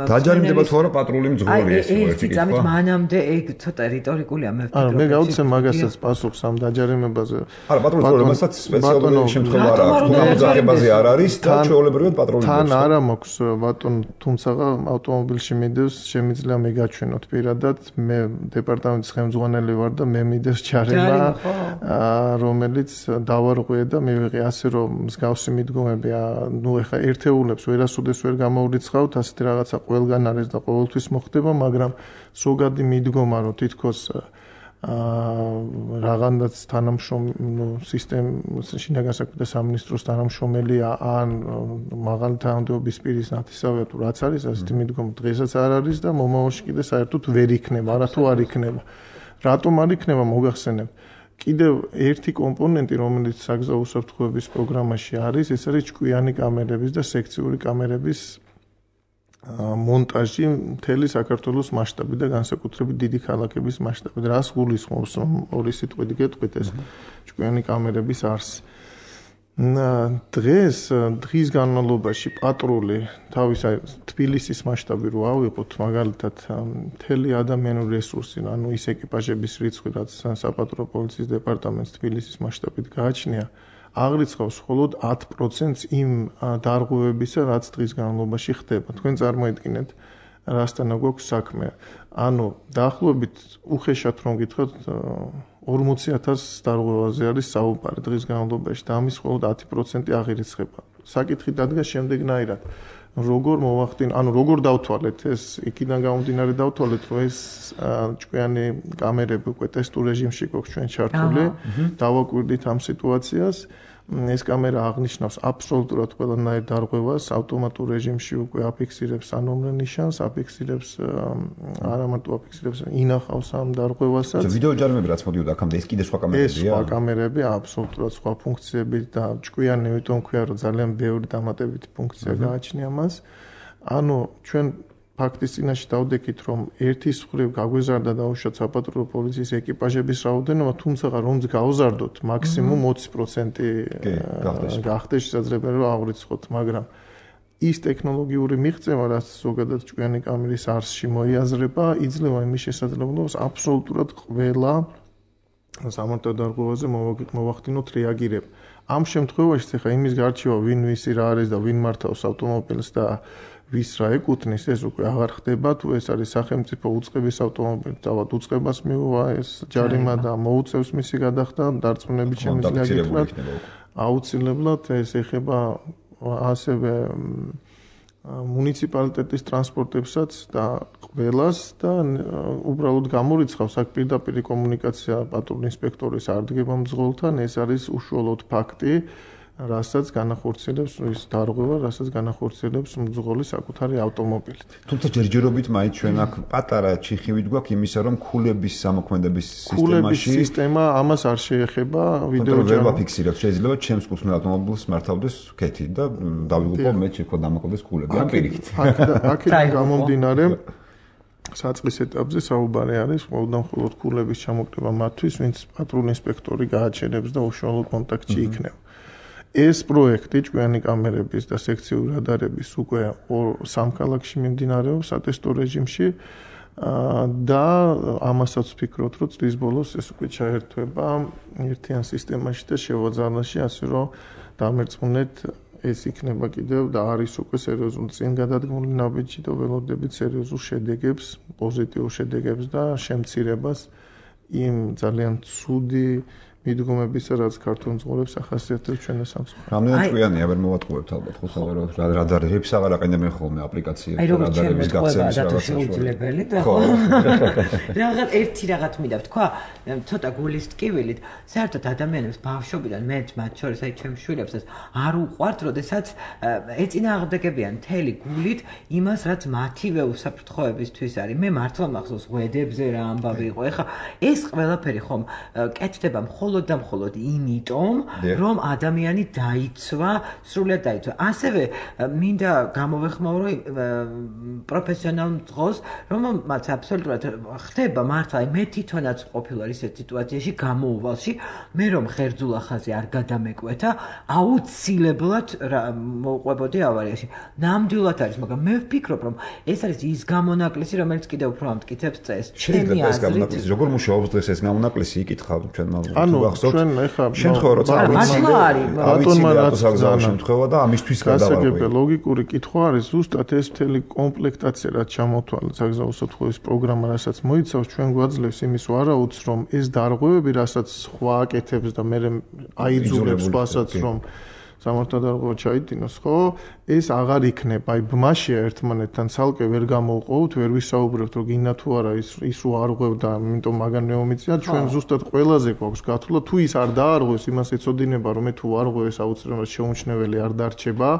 დაჯარიმდება თუ არა პატრული მძღოლი ეს ერთი წამით მანამდე ეგ ცოტა რიტორიკულია მე ვფიქრობ. არა, მე გავუცემ მაგასაც პასუხს ამ დაჯარიმებაზე. არა, პატრული მძღოლებასაც სპეციალური შემთხვევა არ აქვს. თუ ამოძახებაზე არ არის და ჩვეულებრივად პატრული თან არა მაქვს ბატონ, თუმცა ავტომობილში მიდევს, შემიძლია მე გაჩვენოთ პირადად, მე დეპარტამენტის ხელმძღვანელი ვარ და მე მიდევს ჯარიმა, რომელიც დავარღვე და მივიღე ასე რომ მსგავსი მიდგომები, ნუ ეხა ერთეულებს ვერასოდეს ვერ გამოვრიცხავთ, ასეთი რაღაცა ყველგან არის და ყოველთვის მოხდება, მაგრამ ზოგადი მიდგომა რომ თითქოს რაღაცნაირად სისტემის შინაგან საქმეთა სამინისტროს თანამშრომელია ან მაღალი თანამდებობის პირის ნათესავია თუ რაც არის, ასეთი მიდგომა დღესაც არ არის და მომავალში კიდე საერთოდ ვერ იქნება, არა თუ არ იქნება. რატომ არ იქნება მოგახსენებ? კიდევ ერთი კომპონენტი, რომელიც საგზაო უსაფრთხოების პროგრამაში არის, ეს არის ჭკვიანი კამერების და სექციური კამერების მონტაჟი მთელი საქართველოს მასშტაბით და განსაკუთრებით დიდი ქალაქების მასშტაბით. რას გულისხმობს, რომ ორი სიტყვით გეტყვით ეს ჭკვიანი კამერების არსი. დღის განმავლობაში პატრული თავის თბილისის მასშტაბი რო ავიღოთ, მაგალითად მთელი ადამიანური რესურსი, ანუ ის ეკიპაჟების რიცხვი, რაც საპატრულო პოლიციის დეპარტამენტს თბილისის მასშტაბით გააჩნია, აღრიცხავს მხოლოდ 10%-ს იმ დარღვევებისა, რაც დღის განმავლობაში ხდება. თქვენ წარმოიდგინეთ, რასთან გვაქვს საქმე. ანუ დაახლოებით უხეშად რომ გითხრათ 40,000 დარღვევაზე არის საუბარი დღის განმავლობაში და ამის მხოლოდ 10% აღირიცხება. საკითხი დადგა შემდეგნაირად. როგორ მოვახდინოთ, ანუ როგორ დავთვალეთ ეს, იქიდან გამომდინარე დავთვალეთ, რომ ეს ჭკვიანი კამერები უკვე ტესტურ რეჟიმში გვაქვს ჩვენ ჩართული, დავაკვირდით ამ სიტუაციას. ეს კამერა აღნიშნავს აბსოლუტურად ყველანაირ დარღვევას, ავტომატურ რეჟიმში უკვე აფიქსირებს ანომრე ნიშანს, აფიქსირებს არა მარტო აფიქსირებს, ინახავს ამ დარღვევასაც. ვიდეო ჯარიმები რაც მოდიოდა აქამდე, ეს კიდე სხვა კამერებია? ეს სხვა კამერები, აბსოლუტურად სხვა ფუნქციები და ჭკვიანი, იმიტომ ქვია, რომ ძალიან ბევრი დამატებითი ფუნქცია გააჩნია მას. ანუ ჩვენ ფაქტის წინაშე დავდექით, რომ ერთის მხრივ გაგვეზარდა დაუშვათ საპატრულო პოლიციის ეკიპაჟების რაოდენობა, თუმცა რომც გავზარდოთ, მაქსიმუმ 20% გახდეს შესაძლებელი რომ ავრიცხოთ, მაგრამ ის ტექნოლოგიური მიღწევა, რაც ზოგადად ჭკვიანი კამერის არსში მოიაზრება, იძლევა იმის შესაძლებლობას აბსოლუტურად ყველა სამართალ დარღვევაზე მოვახდინოთ რეაგირება. ამ შემთხვევაში ხა იმის გარჩევა, ვინ ვისი რა არის და ვინ მართავს ავტომობილს და ვის რა ეკუთვნის, ეს უკვე აღარ ხდება, თუ ეს არის სახელმწიფო უწყების ავტომობილი, თავად უწყებას მიუვა ეს ჯარიმა და მოუწევს მისი გადახდა, დარწმუნებით შემიძლია გითხრათ, აუცილებლად ეს ეხება ასევე მუნიციპალიტეტის ტრანსპორტებსაც და ყველას და უბრალოდ გამორიცხავს აქ პირდაპირ კომუნიკაცია პატრულ ინსპექტორის არდგებამძღოლთან, ეს არის უშუალოდ ფაქტი, რასაც განახორციელებს ის დარღვევა, რასაც განახორციელებს მძღოლი საკუთარი ავტომობილით. თუმცა ჯერჯერობით მაინც ჩვენ აქ პატარა ჩიხივით გვაქვს იმისა, რომ ქულების სამოქმედების სისტემაში სისტემა ამას არ შეეხება ვიდეო ვერ ვაფიქსირებ, შეიძლება ჩემს კუთვნილ ავტომობილს მართავდეს ქეთი და დავიღუპო მე შექო დამოკლდეს ქულები ამ პირიქით. აქედან გამომდინარე საწყის ეტაპზე საუბარი არის მხოლოდ ქულების ჩამოკრება მათთვის, ვინც პატრულ ინსპექტორი გააჩენებს და უშუალო კონტაქტში იქნება. ეს პროექტი ჭკვიანი კამერების და სექციური რადარების უკვე სამ ქალაქში მიმდინარეობს ატესტო რეჟიმში და ამასაც ვფიქრობთ, რომ წლის ბოლოს ეს უკვე ჩაერთვება ერთიან სისტემაში და შევაძალაში, ასე რომ დამერწმუნეთ ეს იქნება კიდევ და არის უკვე სერიოზულ წინ გადადგმული ნაბიჯი და ველოდებით სერიოზულ შედეგებს, პოზიტიურ შედეგებს და შემცირებას იმ ძალიან ცუდი მიდგომებისა, რაც ქართულ მძღოლებს ახასიათებს ჩვენს სამწუხაროდ. რამდენად ჭკვიანია, ვერ მოვატყუებთ ალბათ, ხო, სავარაუდოდ რადარებს აღარ აყენებენ ხოლმე აპლიკაციებს და რადარების გაქცევის რაღაცა შეუძლებელი და ხო. ერთი რაღაც მინდა ვთქვა, ცოტა გულის ტკივილით, საერთოდ ადამიანებს ბავშვობიდან მეც მათ შორის აი ჩემს შვილებსაც არ უყვართ, როდესაც ეწინააღმდეგებიან მთელი გულით იმას, რაც მათივე უსაფრთხოებისთვის არის. მე მართლა მახსოვს ღვედებზე რა ამბავი იყო. ეხლა ეს ყველაფერი ხომ კეთდება მხოლოდ და მხოლოდ იმიტომ, რომ ადამიანი დაიცვა, სრულად დაიცვა. ასევე მინდა გამოვეხმაურო პროფესიონალ მძღოლს, რომელმაც აბსოლუტურად ხდება მართლა, მე თვითონაც ყოფილვარ ისეთ სიტუაციაში გამოუვალში, მე რომ ხერძულა ხაზი არ გადამეკვეთა, აუცილებლად მოვყვებოდი ავარიაში. ნამდვილად არის, მაგრამ მე ვფიქრობ, რომ ეს არის ის გამონაკლისი, რომელიც კიდევ უფრო ამტკიცებს წესს. ჩემი აზრით, როგორ მუშაობს დღეს ეს გამონაკლისი, იკითხავ ჩვენ ჩვენ ეხლა შემთხვევა როცა ბატონმა რაც შემთხვევა და ამისთვის გადავარკვევი ლოგიკური კითხვა არის ზუსტად ეს მთელი კომპლექტაცია რაც ჩამოთვალეთ საგზაო სათხოვრის პროგრამა რასაც მოიცავს ჩვენ გვაძლევს იმის ვარაუდს რომ ეს დარღვევები რასაც სხვა აკეთებს და მე აიძულებს სხვასაც რომ სამართალდარღვევა ჩაიდინოს, ხო? ეს აღარ იქნება. აი ბმაშია ერთმანეთთან ცალკე ვერ გამოვყოვთ, ვერ ვისაუბრებთ, რომ გინდა თუ არა ის რო არღვევდა, ამიტომ მაგან მეომიწია, ჩვენ ზუსტად ყველაზე გვაქვს გათვლა, თუ ის არ დაარღვევს, იმას ეცოდინება, რომ მე თუ არღვევს აუცილებლად შეუმჩნეველი არ დარჩება.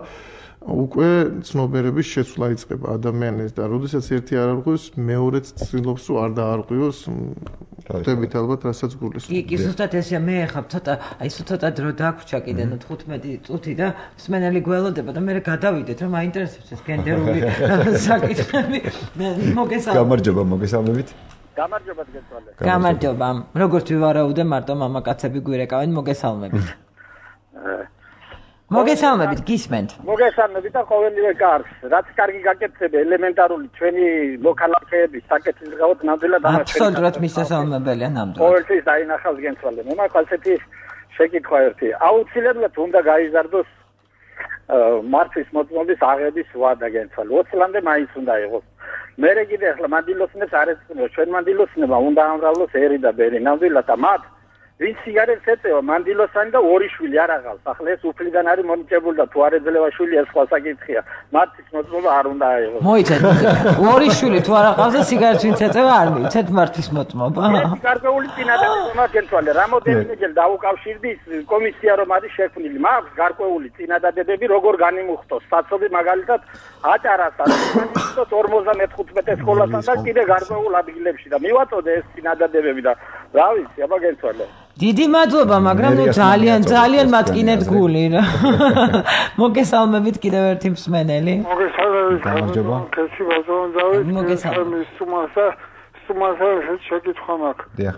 უკვე ცნობიერების შეცვლა იწყება ადამიანის და როდესაც ერთი არ არღვევს, მეორეც ცდილობს რომ არ დაარღვიოს. ხვდებით ალბათ, რასაც გულისხმობ. კი, ზუსტად ესეა, მე ახლა ცოტა დრო დაგვრჩა კიდე 15 წუთი და მსმენელი გველოდება და მე გადავიდეთ, რომ აინტერესებს ეს გენდერული საკითხები. მოგესალმებით. გამარჯობა, მოგესალმებით. გამარჯობა გესალმე. გამარჯობა. როგორც ვივარაუდე, მარტო მამაკაცები გვირეკავენ, მოგესალმებით. მოგესალმებით, გისმენთ. მოგესალმებით და ყოველივე კარგს. რაც კარგი გაკეთდება, ელემენტარული ჩვენი მოქალაქეების საკეთილდღეოდ ნამდვილად ამაჩვენებს. აბსოლუტურად მისასალმებელია ნამდვილად. ყოველთვის დაინახავს გენცვალე. მე მაქვს ასეთი შეკითხვა ერთი. აუცილებლად უნდა გაიზარდოს მართვის მოწმობის აღების ვადა გენცვალე. 20 წლამდე მაინც უნდა იყოს. მე კიდე ახლა მანდილოსნებს არ ეცნობს. ჩვენ მანდილოსნებმა უნდა ამრავლოს ერი და ბერი. ნამდვილად და მათ ვინც სიგარეტს ეწევა მანდილოსანი და ორი შვილი არ აღავს. ახლა ეს უფლიდან არის მონიჭებული და თუ არ ეძლევა შვილი ეს სხვა საკითხია. მათთვის მოწმობა არ უნდა აიღოს. მოიცეთ. ორი შვილი თუ არ აღავს და სიგარეტს ვინც ეწევა არ მიიცეთ მართვის მოწმობა. ეს გარკვეული წინადადება მაქვს გენცვალე. რამოდენიმეჯერ დაუკავშირდი კომისია რომ არის შექმნილი. მაქვს გარკვეული წინადადებები როგორ განიმუხტოს. საცობი მაგალითად აჭარას არის 55 სკოლასთან და კიდე გარკვეულ ადგილებში და მივაწოდე ეს წინადადებები და რა ვიცი, აბა გენცვალე. დიდი მადლობა, მაგრამ ძალიან მატკინეთ გული რა. მოგესალმებით კიდევ ერთი მსმენელი. მოგესალმებით. გამარჯობა. კაცი ბაზონ დავით. მოგესალმებით. სტუმარს შეკითხვა მაქვს. დიახ.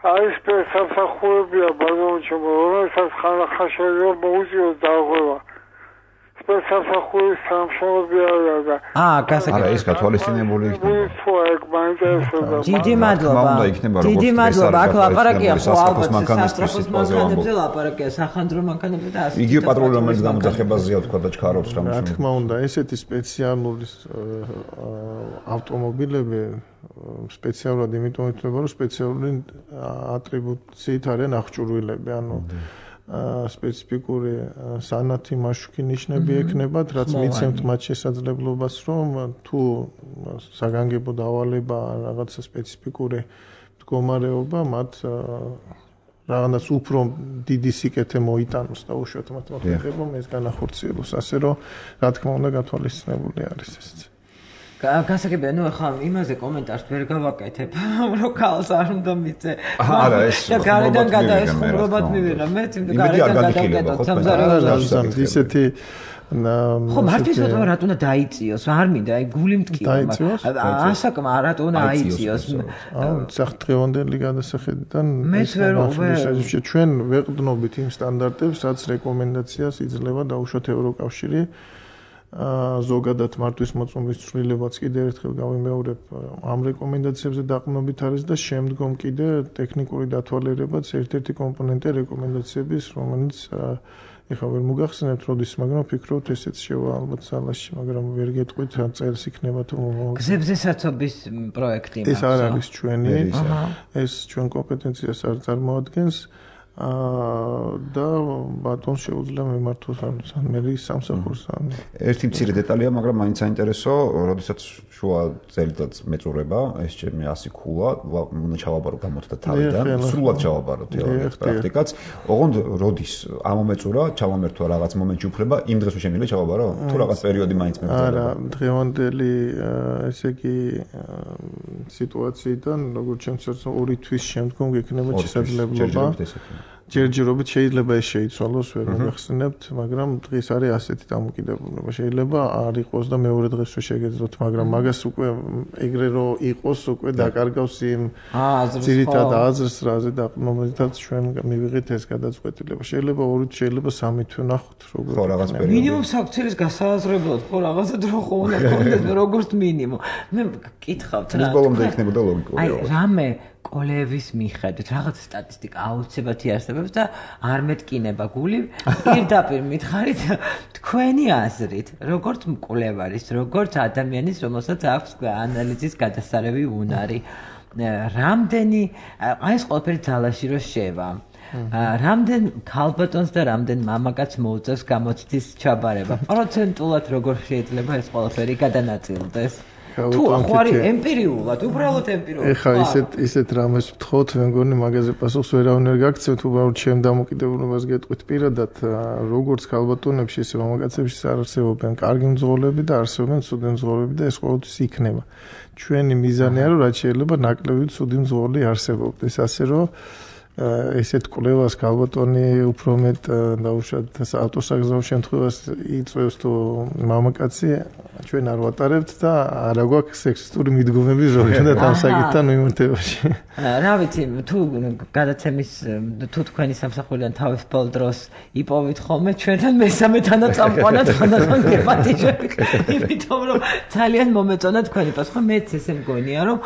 აი ეს სამსახურებია ბაზონში, რომელსაც ხაშხაშა მოუწიოს დარღვევა. სამსახურის სამშობლოა და არა ეს გათვალისწინებული იქნება. დიდი მადლობა. დიდი მადლობა. აქ ლაპარაკია ხო ალბათ სასტრაფოს მანქანებზე ლაპარაკია, სახანძრო მანქანებზე და ასე. იგივე პატრული რომელიც გამოძახებაზეა თქვა და ჩქარობს რამე. რა თქმა უნდა, ესეთი სპეციალური ავტომობილები სპეციალურად იმიტომ ითვლება, რომ სპეციალური ატრიბუციით არიან აღჭურვილები, ანუ სპეციფიკური სანათი მაშუქი ნიშნები ექნებათ, რაც მიცემთ მათ შესაძლებლობას, რომ თუ საგანგებო დავალება რაღაცა სპეციფიკური მდგომარეობა მათ რაღაც უფრო დიდი სიკეთე მოიტანოს და უშუალოდ მათ მოხერხებო ეს განახორციელოს, ასე რომ რა თქმა უნდა გათვალისწინებული არის ესეც. გასაგებია, ახლა იმაზე კომენტარს ვერ გავაკეთებ, რომ ქალს არ უნდა მიწე. არა, ეს გარედან გადაესხმრობად მივიღე, მე გარედან გადავკეტო სამზარეულოს. ისეთი ხო, მარტივად რატო უნდა დაიწიოს? არ მინდა, აი გული მткиვა. ასაკმა რატო უნდა აიწიოს? საფრთხევანდელი გადასახედიდან ჩვენ ვეყრდნობით იმ სტანდარტებს, რაც რეკომენდაციას იძლევა დაუშვათ ევროკავშირი. ზოგადად მართვის მოწმობის ცვლილებაც კიდევ ერთხელ გავიმეორებ ამ რეკომენდაციებზე დაყრდნობით არის და შემდგომ კიდე ტექნიკური დათვალიერებაც ერთ-ერთი კომპონენტი რეკომენდაციების, რომელიც ეხლა ვერ მოგახსენებთ როდის, მაგრამ ვფიქრობთ ესეც შევა ალბათ სალაში, მაგრამ ვერ გეტყვით რა წერს იქნება თუ გზებზე საცობის პროექტი მაქვს. ეს არ არის ჩვენი, ეს ჩვენ კომპეტენციას არ წარმოადგენს. და ბატონს შეუძლია მიმართოს ან მერის სამსახურს ან ერთი მცირე დეტალია, მაგრამ მაინც საინტერესო, როდესაც შუა წელიწადს მეწურება, ეს ჩემი 100 ქულა, უნდა ჩავაბარო გამოთდა თავიდან, სრულად ჩავაბარო თეორიას პრაქტიკაც. ოღონდ როდის ამომეწურა, ჩავამერთვა რაღაც მომენტში უფლება, იმ დღეს შეგვიძლია ჩავაბარო? თუ რაღაც პერიოდი მაინც მეგზავნა? არა, დღევანდელი ესე იგი სიტუაციიდან, როგორც ჩემს 2 თვის შემდგომ გექნება შესაძლებლობა ჯერჯერობით შეიძლება ეს შეიცვალოს, ვერ მოგახსენებთ, მაგრამ დღეს არის ასეთი დამოკიდებულება. შეიძლება არ იყოს და მეორე დღეს რო შეგეძლოთ, მაგრამ მაგას უკვე ეგრე რო იყოს, უკვე დაკარგავს იმ ძირითად აზრს, რაზე დაყრდნობითაც ჩვენ მივიღეთ ეს გადაწყვეტილება. შეიძლება 2 თვის, შეიძლება 3 თვის ნახოთ, როგორ. ხო, რაღაც პერიოდი. მინიმუმ საქციელის გასააზრებლად, ხო, რაღაცა დრო ხო უნდა გქონდეს, როგორც მინიმუმ. მე გკითხავთ რა. ის ბოლომდე იქნებოდა ლოგიკური. აი, რამე კოლეების მიხედვით რაღაც სტატისტიკა აუცილებლად იარსებებს და არ მეტკინება გული. პირდაპირ მითხარით თქვენი აზრით, როგორც მკვლევარის, როგორც ადამიანის, რომელსაც აქვს ანალიზის გადასარევი უნარი, რამდენი აი ეს ყველაფერი ძალაში რო შევა. რამდენ ქალბატონს და რამდენ მამაკაცს მოუწევს გამოცდის ჩაბარება? პროცენტულად როგორ შეიძლება ეს ყველაფერი გადანაწილდეს? თუ ხარი ემპირიულად, უბრალოდ ემპირიულად. ეხა ისეთ რამეს ვთხოვთ, მე მგონი მაგაზე პასუხს ვერავინ გაგცემთ, უბრალოდ ჩემ დამოკიდებულებას გეტყვით პირადად, როგორც ქალბატონებში, ისე მამაკაცებში არსებობენ კარგი მძღოლები და არსებობენ ცუდი მძღოლები და ეს ყოველთვის იქნება. ჩვენი მიზანია, რომ რაც შეიძლება ნაკლები ცუდი მძღოლი არსებობდეს, ასე რომ ესეთ კვლევას ქალბატონი უფრო მეტ დაუშვათ ავტოსაგზაო შემთხვევას იწევს თუ მამაკაცი ჩვენ არ ვატარებთ და არ აგვაქვს სექსისტური მიდგომები ზოგადად ამ საკითხთან მიმართებაში. რა ვიცი, თუ გადაცემის თუ თქვენი სამსახურიდან თავისუფალ დროს იპოვით ხოლმე ჩვენთან მესამეთანა წამყვანად ხანდახან გეპატიჟები. იმიტომ რომ ძალიან მომეწონა თქვენი პასუხი. მეც ესე მგონია რომ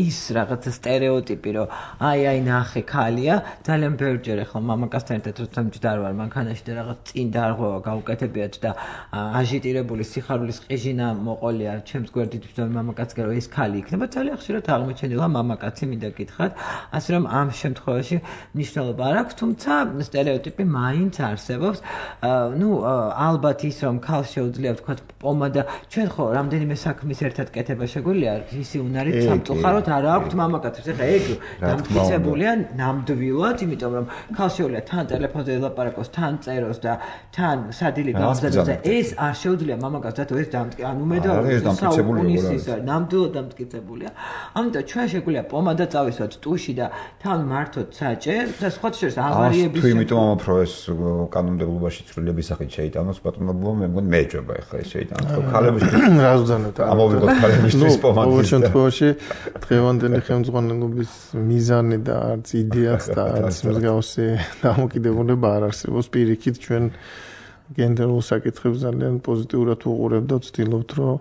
ის რაღაც სტერეოტიპი რომ აი ნახე ქალია, ძალიან ბევრჯერ ახლა მამაკაცთან ერთად როცა მჯდარ ვარ მანქანაში და რაღაც წინ დარღვევა გავუკეთებიათ და აჟიტირებული სიხარულის ყიჟინა მოყოლია ჩემს გვერდით ვსვამ მამაკაცს რომ ეს ქალი იქნება, ძალიან ხშირად აღმოჩენილა მამაკაცი მინდა გითხრათ, ასე რომ ამ შემთხვევაში მნიშვნელობა არ აქვს, თუმცა სტერეოტიპი მაინც არსებობს. ნუ ალბათ ის რომ ქალს შეუძლია ვთქვათ პომადა, ჩვენ ხო რამდენიმე საქმის ერთად კეთება შეგვიძლია, ისი უნარით სამწუხაროდ არ აქვს მამაკაცებს. ეხლა ეგ დამტკიცებულია ნამდვილად, იმიტომ რომ ქალს შეუძლია თან ტელეფონზე ელაპარაკოს, თან წეროს და თან სადილე გამზადოს. ეს არ შეუძლია მამაკაცს, რატო ეს ანუ მე და ნამდვილად დამტკიცებულია. ამიტომ ჩვენ შეგვიძლია პომადა წავისვათ ტუში და თან მართოთ საჭე და სხვა შორის ავარიების თუ იმიტომ ამაფრო ეს კანონმდებლობაში ცვლილების სახით შეიტანოს პატრონობა, მე მგონი მეეჭება ახლა ეს შეიტანოს. ქალებისთვის რა ვზანოთ? ამოვიღოთ ქალებისთვის პომადა. ყოველ შემთხვევაში დღევანდელი ხელმძღვანელობის მიზანი და არც იდეაც და არც მსგავსი დამოკიდებულება არ არსებობს. პირიქით ჩვენ გენდერულ საკითხებს ძალიან პოზიტიურად ვუყურებთ და ვცდილობთ, რომ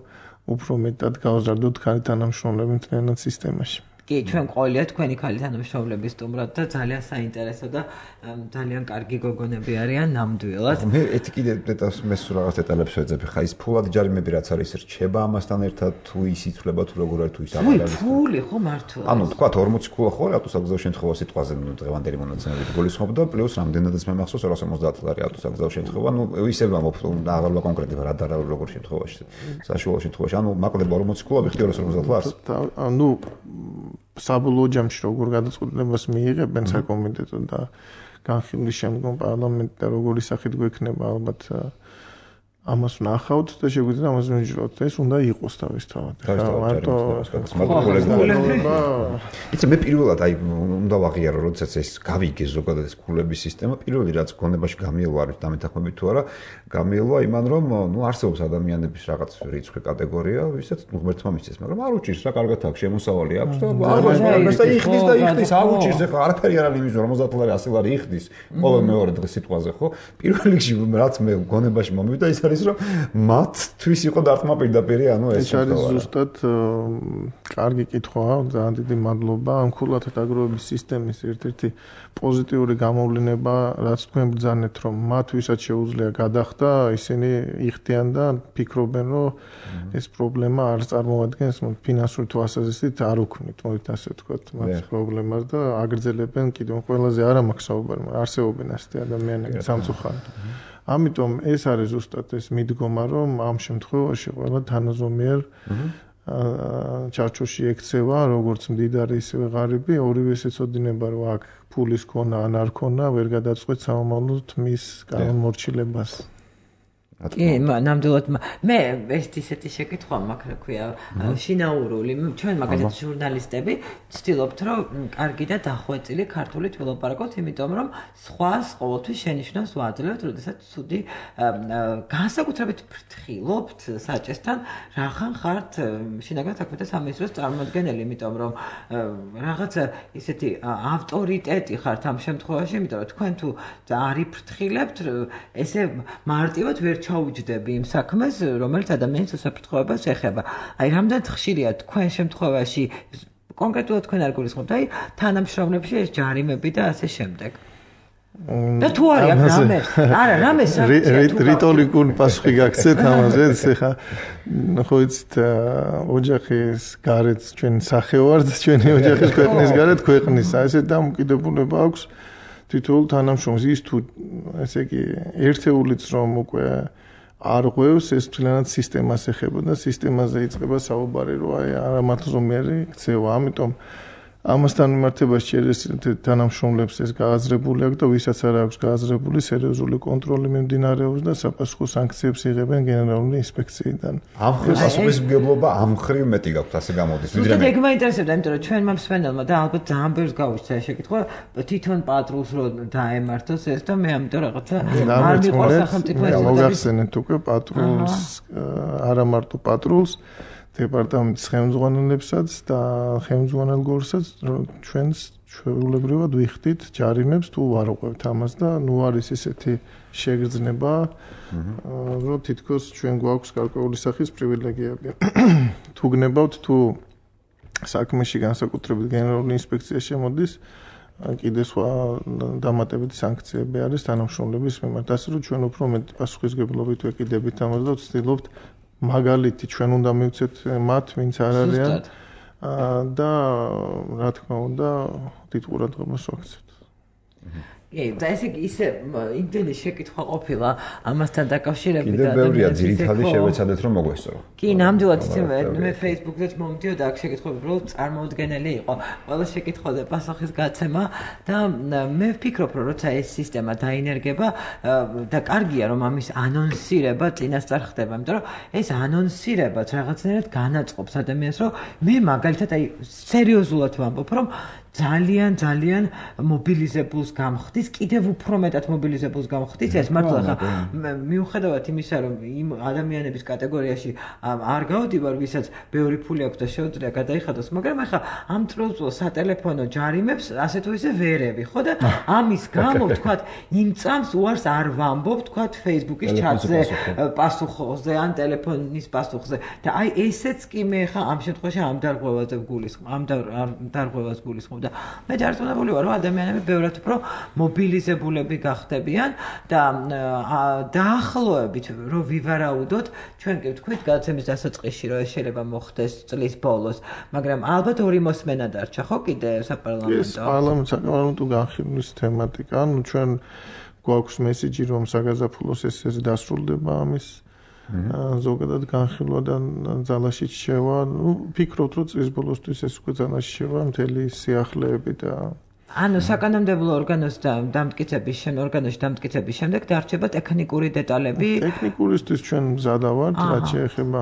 უფრო მეტად გავზარდოთ ქალი თანამშრომლები მთლიანად სისტემაში. კი, ჩვენ ყოლია თქვენი ქალი თანამშრომლების სტუმრად და ძალიან საინტერესო და ძალიან კარგი გოგონები არიან ნამდვილად. მე ეთი კიდე მე სულ რაღაც დეტალებს ვეძებ. ხა ის ფულად ჯარიმები რაც არის რჩება ამასთან ერთად თუ ის იცვლება თუ როგორ არის თუ ის აღარ არის. ფული ხო მართლა. ანუ თქვა 40 ქულა ხო ავტოსაგზაო შემთხვევა სიტყვაზე დღევანდელი მონაცემებით გულისხმობ და პლუს რამდენადაც მე მახსოვს 250 ლარი ავტოსაგზაო შემთხვევა. ნუ ისევ ამბობ აღარ კონკრეტი რა და როგორ შემთხვევაში. საშუალო შემთხვევაში. ანუ მაკლდება 40 ქულა ვიხდი 250 ლარს. ანუ საბოლოო ჯამში როგორ გადაწყვეტილებას მიიღებენ საკომიტეტო და განხილვის შემდგომ პარლამენტი და როგორი სახით გვექნება ალბათ ამას ვნახავთ და შეგვიძლია ამას ვიმჯეროთ. ეს უნდა იყოს თავისთავად. მარტო იცი მე პირველად აი უნდა ვაღიარო როდესაც ეს გავიგე ზოგადად ეს ქულების სისტემა პირველი რაც გონებაში გამიელვა არის დამეთანხმებით თუ არა გამიელვა იმან რომ ნუ არსებობს ადამიანების რაღაც რიცხვი კატეგორია ვისაც ღმერთმა მისცეს მაგრამ არ უჭირს რა კარგად აქვს შემოსავალი აქვს და აღარ და იხდის არ უჭირს ახლა არაფერი არ არის იმის 50 ლარი 100 ლარი იხდის ყოველ მეორე დღე სიტყვაზე ხო პირველ რიგში რაც მე გონებაში მომივიდა ის არის რომ მათთვის იყო დარტყმა პირდაპირ ანუ ეს არის ზუსტად კარგი კითხვაა ძალიან დიდი მადლობა ამ ქულათა დაგროვების სისტემის ერთ-ერთი პოზიტიური გამოვლენა რაც თქვენ ბრძანეთ რომ მათ ვისაც შეუძლია გადახდა ისინი იხდიან და ფიქრობენ რომ ეს პრობლემა არ წარმოადგენს ფინანსური თვალსაზრისით არ უქმნით მოდით ასე ვთქვათ მათ პრობლემას და აგრძელებენ კიდევ ყველაზე არა მაქვს საუბარი მაგრამ არსებობენ ასეთი ადამიანები სამწუხაროდ ამიტომ ეს არის ზუსტად ეს მიდგომა რომ ამ შემთხვევაში ყველა თანაზომიერ ჩარჩოში ექცევა როგორც მდიდარი ისევე ღარიბი ორივეს ეცოდინება რომ აქ ფულის ქონა ან არ ქონა ვერ გადაწყვეტ სამომავლოდ მის განმორჩილებას კი, ნამდვილად მე ეს ისეთი შეკითხვა მაქვს, რა ქვია, შინაურული. ჩვენ მაგალითად ჟურნალისტები ვცდილობთ, რომ კარგი და დახვეწილი ქართულით ვილაპარაკოთ, იმიტომ რომ სხვას ყოველთვის შენიშვნას ვაძლევთ, როდესაც ცუდი განსაკუთრებით ფრთხილობთ საჭესთან, რახან ხართ შინაგან საქმეთა სამინისტროს წარმოადგენელი, იმიტომ რომ რაღაც ისეთი ავტორიტეტი ხართ ამ შემთხვევაში, იმიტომ რომ თქვენ თუ არ იფრთხილებთ, ესე მარტივად ვერ ჩაუჯდები იმ საქმეს, რომელიც ადამიანის უსაფრთხოებას ეხება. აი, რამდენად ხშირია თქვენ შემთხვევაში კონკრეტულად თქვენ არ გულისხმობთ, აი, თანამშრომლებში ეს ჯარიმები და ასე შემდეგ. და თუ არის აქ რამე? არა, რამე რიტორიკული პასუხი გაგცეთ ამაზე, ეხა ხო იცით, ოჯახის გარეთ ჩვენ სახევართ, ჩვენი ოჯახის ქვეყნის გარეთ ქვეყნის, ესე დამოკიდებულება აქვს თითოეულ თანამშრომლს ის თუ ესე იგი ერთეულიც რომ უკვე არ ღვევს ეს თლიანად სისტემას ეხება და სისტემაზე იწყება საუბარი რომ აი არამართლზომიერი ქცევა ამიტომ ამასთან მიმართებაში შეიძლება თანამშრომლებს ეს გააზრებული აქვს და ვისაც არ აქვს გააზრებული სერიოზული კონტროლი მიმდინარეობს და საფასუხო სანქციებს იღებენ გენერალური ინსპექციიდან. ამ პასუხისმგებლობა ამ მხრივ მეტი გაქვთ ასე გამოდის. ვიდრე მე მაინტერესებდა, იმიტომ რომ ჩვენმა მსმენელმა და ალბათ ძალიან ბევრს გავუჩნდა ეს შეკითხვა, თვითონ პატრულს რო დაემართოს ეს და მე ამიტომ რაღაცა არ მიყვარს სახელმწიფო ეს. მოგახსენეთ უკვე პატრულს არა მარტო პატრულს დეპარტამენტის ხელმძღვანელებსაც და ხელმძღვანელ გორსაც ჩვენს ჩვეულებრივად ვიხდით ჯარიმებს თუ არ უყვებთ ამას და ნუ არის ესეთი შეგრძნება რომ თითქოს ჩვენ გვაქვს გარკვეული სახის პრივილეგიები თუ გნებავთ თუ საქმეში განსაკუთრებით გენერალური ინსპექცია შემოდის კიდე სხვა დამატებითი სანქციები არის თანამშრომლების მიმართ ასე რომ ჩვენ უფრო მეტ პასუხისმგებლობით ვეკიდებით ამას და ვცდილობთ მაგალითი ჩვენ უნდა მივცეთ მათ ვინც არ არიან და რა თქმა უნდა დიდ ყურადღებას ვაქცევთ. კი, და ესე ისე იმდენი შეკითხვა ყოფილა ამასთან დაკავშირებით და კიდევ ბევრია ძირითადი შევეცადეთ რომ მოგვესწრო. კი, ნამდვილად მე Facebook-ზე მომდიოდა აქ შეკითხვები, რომ წარმოუდგენელი იყო ყველა შეკითხვაზე პასუხის გაცემა და მე ვფიქრობ, რომ როცა ეს სისტემა დაინერგება და კარგია რომ ამის ანონსირება წინასწარ ხდება, იმიტომ რომ ეს ანონსირებაც რაღაცნაირად განაწყობს ადამიანს, რომ მე მაგალითად აი სერიოზულად ვამბობ, რომ ძალიან მობილიზებულს გამხდის, კიდევ უფრო მეტად მობილიზებულს გამხდის ეს მართლა ხა მიუხედავად იმისა რომ იმ ადამიანების კატეგორიაში არ გავდივარ, ვისაც ბევრი ფული აქვს და შეუძლია გადაიხადოს, მაგრამ ახლა ამ ტროლწულ სატელეფონო ჯარიმებს ასე თუ ისე ვერევი, ხო და ამის გამო ვთქვათ, იმ წამს უარს არ ვამბობ, ვთქვათ Facebook-ის ჩატზე პასუხზე ან ტელეფონის პასუხზე და აი ესეც კი მე ხა ამ შემთხვევაში ამ დარღვევაზე გულისხმობ, ამ დარღვევას გულისხმობ და მე დარწმუნებული ვარ, რომ ადამიანები ბევრად უფრო მობილიზებულები გახდებიან და დაახლოებით რომ ვივარაუდოთ, ჩვენ კი ვთქვით გადაცემის დასაწყისში, რომ ეს შეიძლება მოხდეს წლის ბოლოს, მაგრამ ალბათ ორი მოსმენა დარჩა, ხო კიდე საპარლამენტო? ეს საკმაოდ განხილვის თემატიკა, ну ჩვენ გვაქვს მესიჯი რომ საგაზაფხულოს ეს დასრულდება ამის ზოგადად განხილვა და ძალაში შევა, ну ფიქრობთ რომ წლის ბოლოსთვის ეს უკვე ძალაში შევა მთელი სიახლეები და ანუ საკანონმდებლო ორგანოში დამტკიცების შემდეგ დარჩება ტექნიკური დეტალები. ტექნიკურისთვის ჩვენ მზადა ვართ, რაც შეეხება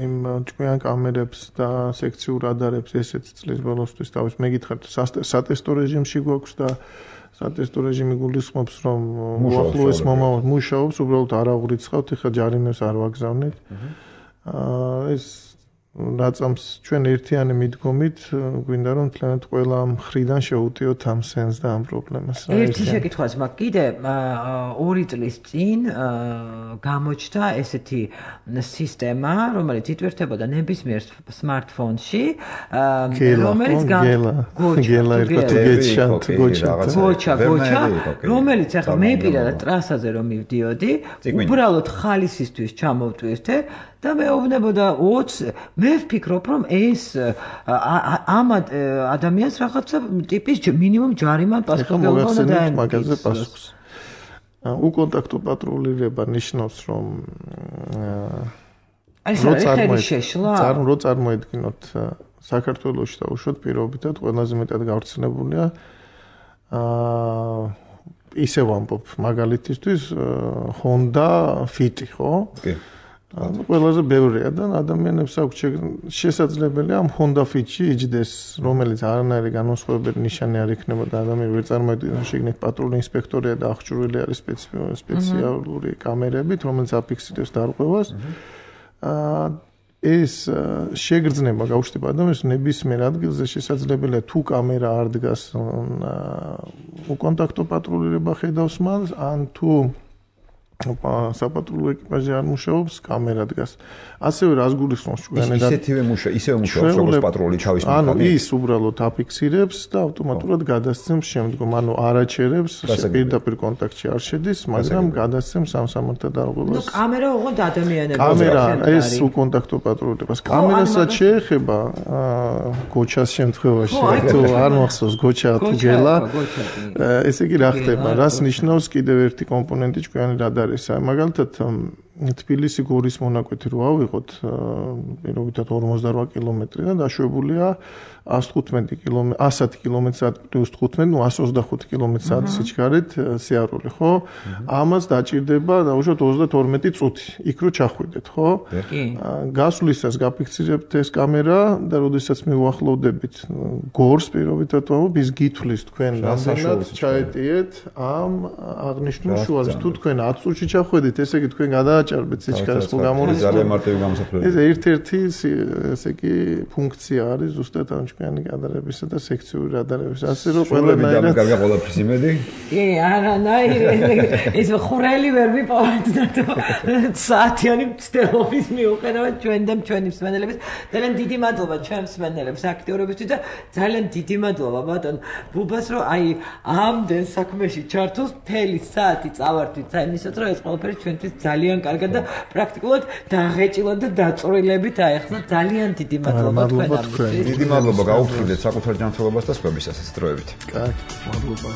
იმ ჭკვიან კამერებს და სექციურ რადარებს ესეც წლის ბოლოსთვის თავის მეკითხართ სატესტო რეჟიმში გვაქვს და სატესტო რეჟიმი გულისხმობს რომ უახლოეს მომავალ მუშაობს, უბრალოდ არ აღურიცხავთ, ეხლა ჯარიმებს არ ვაგზავნით. ეს რაწამს ჩვენ ერთიანი მიდგომით გვინდა რომ თლიანად ყველა მხრიდან შევუტიოთ ამ სენს და ამ პრობლემას. ერთი შეკითხვაც მაქვს კიდე 2 წლის წინ გამოჩნდა ესეთი სისტემა, რომელიც იტვირთებოდა ნებისმიერ smartphone-ში, რომელიც გოჩა, რომელიც ახლა მე პირადად ტრასაზე რომ მივდიოდი, უბრალოდ ხალისისთვის ჩამოვტვირთე და მეუბნებოდა 20 მე ვფიქრობ რომ ეს ამ ადამიანს რაღაცა ტიპის მინიმუმ ჯარიმა პასუხისმგებლობა დაემდგის. უკონტაქტო პატრულირება ნიშნავს რომ რო წარმოედგინოთ საქართველოში და უშუალოდ პირობითად ყველაზე მეტად გავრცელებულია ისე ვამბობ მაგალითისთვის Honda Fit, ხო? კი. ყველაზე ბევრია და ადამიანებს აქვს შესაძლებელია ამ Honda Fit-ში იჯდეს, რომელიც არანაირი განსხვავებული ნიშანი არ იქნება და ადამიანი ვერ წარმოედგინოს შეგნით პატრული ინსპექტორია და აღჭურვილი არის სპეციალური კამერებით, რომელიც აფიქსირებს დარღვევას. ეს შეგრძნება გაუჩნდება ადამიანს ნებისმიერ ადგილზე შესაძლებელია თუ კამერა არ დგას უკონტაქტო პატრულირება ხედავს მას ან თუ საპატრულო ეკიპაჟი არ მუშაობს, კამერა დგას. ასევე რას გულისხმობს ჩვენი და ისევე მუშაობს როგორც პატრული ჩავის მქონე. ანუ ის უბრალოდ აფიქსირებს და ავტომატურად გადასცემს შემდგომ, ანუ არაჩერებს, პირდაპირ კონტაქტში არ შედის, მაგრამ გადასცემს ამ სამართალ დარღვევას. ნუ კამერა უღონდ ადამიანებს. კამერა ეს უკონტაქტო პატრულირებას. კამერასაც შეეხება გოჩას შემთხვევაში, თუ არ მახსოვს გოჩა თუ გელა. ესე იგი რა ხდება? რას ნიშნავს კიდევ ერთი კომპონენტი ჩვენი რადარი? მაგალითად თბილისი გორის მონაკვეთი რო ავიღოთ, პირობითად 48 კილომეტრი და დაშვებულია 115 კილომეტრი, 110 კილომეტრი/სთ პლუს 15, ну 125 კილომეტრი/სთ სიჩქარით სიარული, ხო? ამას დაჭირდება დაუშვათ 32 წუთი, იქ რო ჩახვიდეთ, ხო? კი. გასვლისას გაფიქსირებთ ეს კამერა და როდესაც მივუახლოვდებით გორს პირობითად ვამბობ, ის გითვლის თქვენ რამდენად ჩაეტიეთ ამ აღნიშნულ შუაზე. თუ თქვენ 10 წუთში ჩახვედით, ესე იგი თქვენ გადააჭარბეთ სიჩქარეს ხო გამორიცხავთ. ძალიან მარტივი გამოსახულება. ეს ერთ-ერთი ესე იგი ფუნქცია არის ზუსტად ამ ჩვენი კადრებისა და სექციური რადარების. ასე რომ ყველანაირად კარგა ყველაფრის იმედი? კი, არანაირი. ეს ხურელი ვერ ვიპოვეთ და საათიანი მცდელობის მიუხედავად ჩვენ და ჩვენი მსმენელების ძალიან დიდი მადლობა ჩვენ მსმენელებს აქტიურობისთვის და ძალიან დიდი მადლობა ბატონ ბუბას რომ აი ამდენ საქმეში ჩართულს მთელი საათი წავარდით საინისოთ რომ ეს ყველაფერი ჩვენთვის ძალიან კარგად და პრაქტიკულად დაღეჭილად და დაწვრილებით აეხსნა ძალიან დიდი მადლობა თქვენთვის. დიდი მადლობა გაუფრთხილდეთ საკუთარ ჯანმრთელობას და სხვებისას ეს დროებით. კარგი, მადლობა.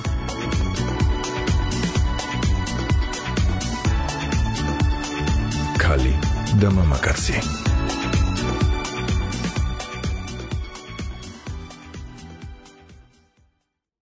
ქალი და მამაკაცი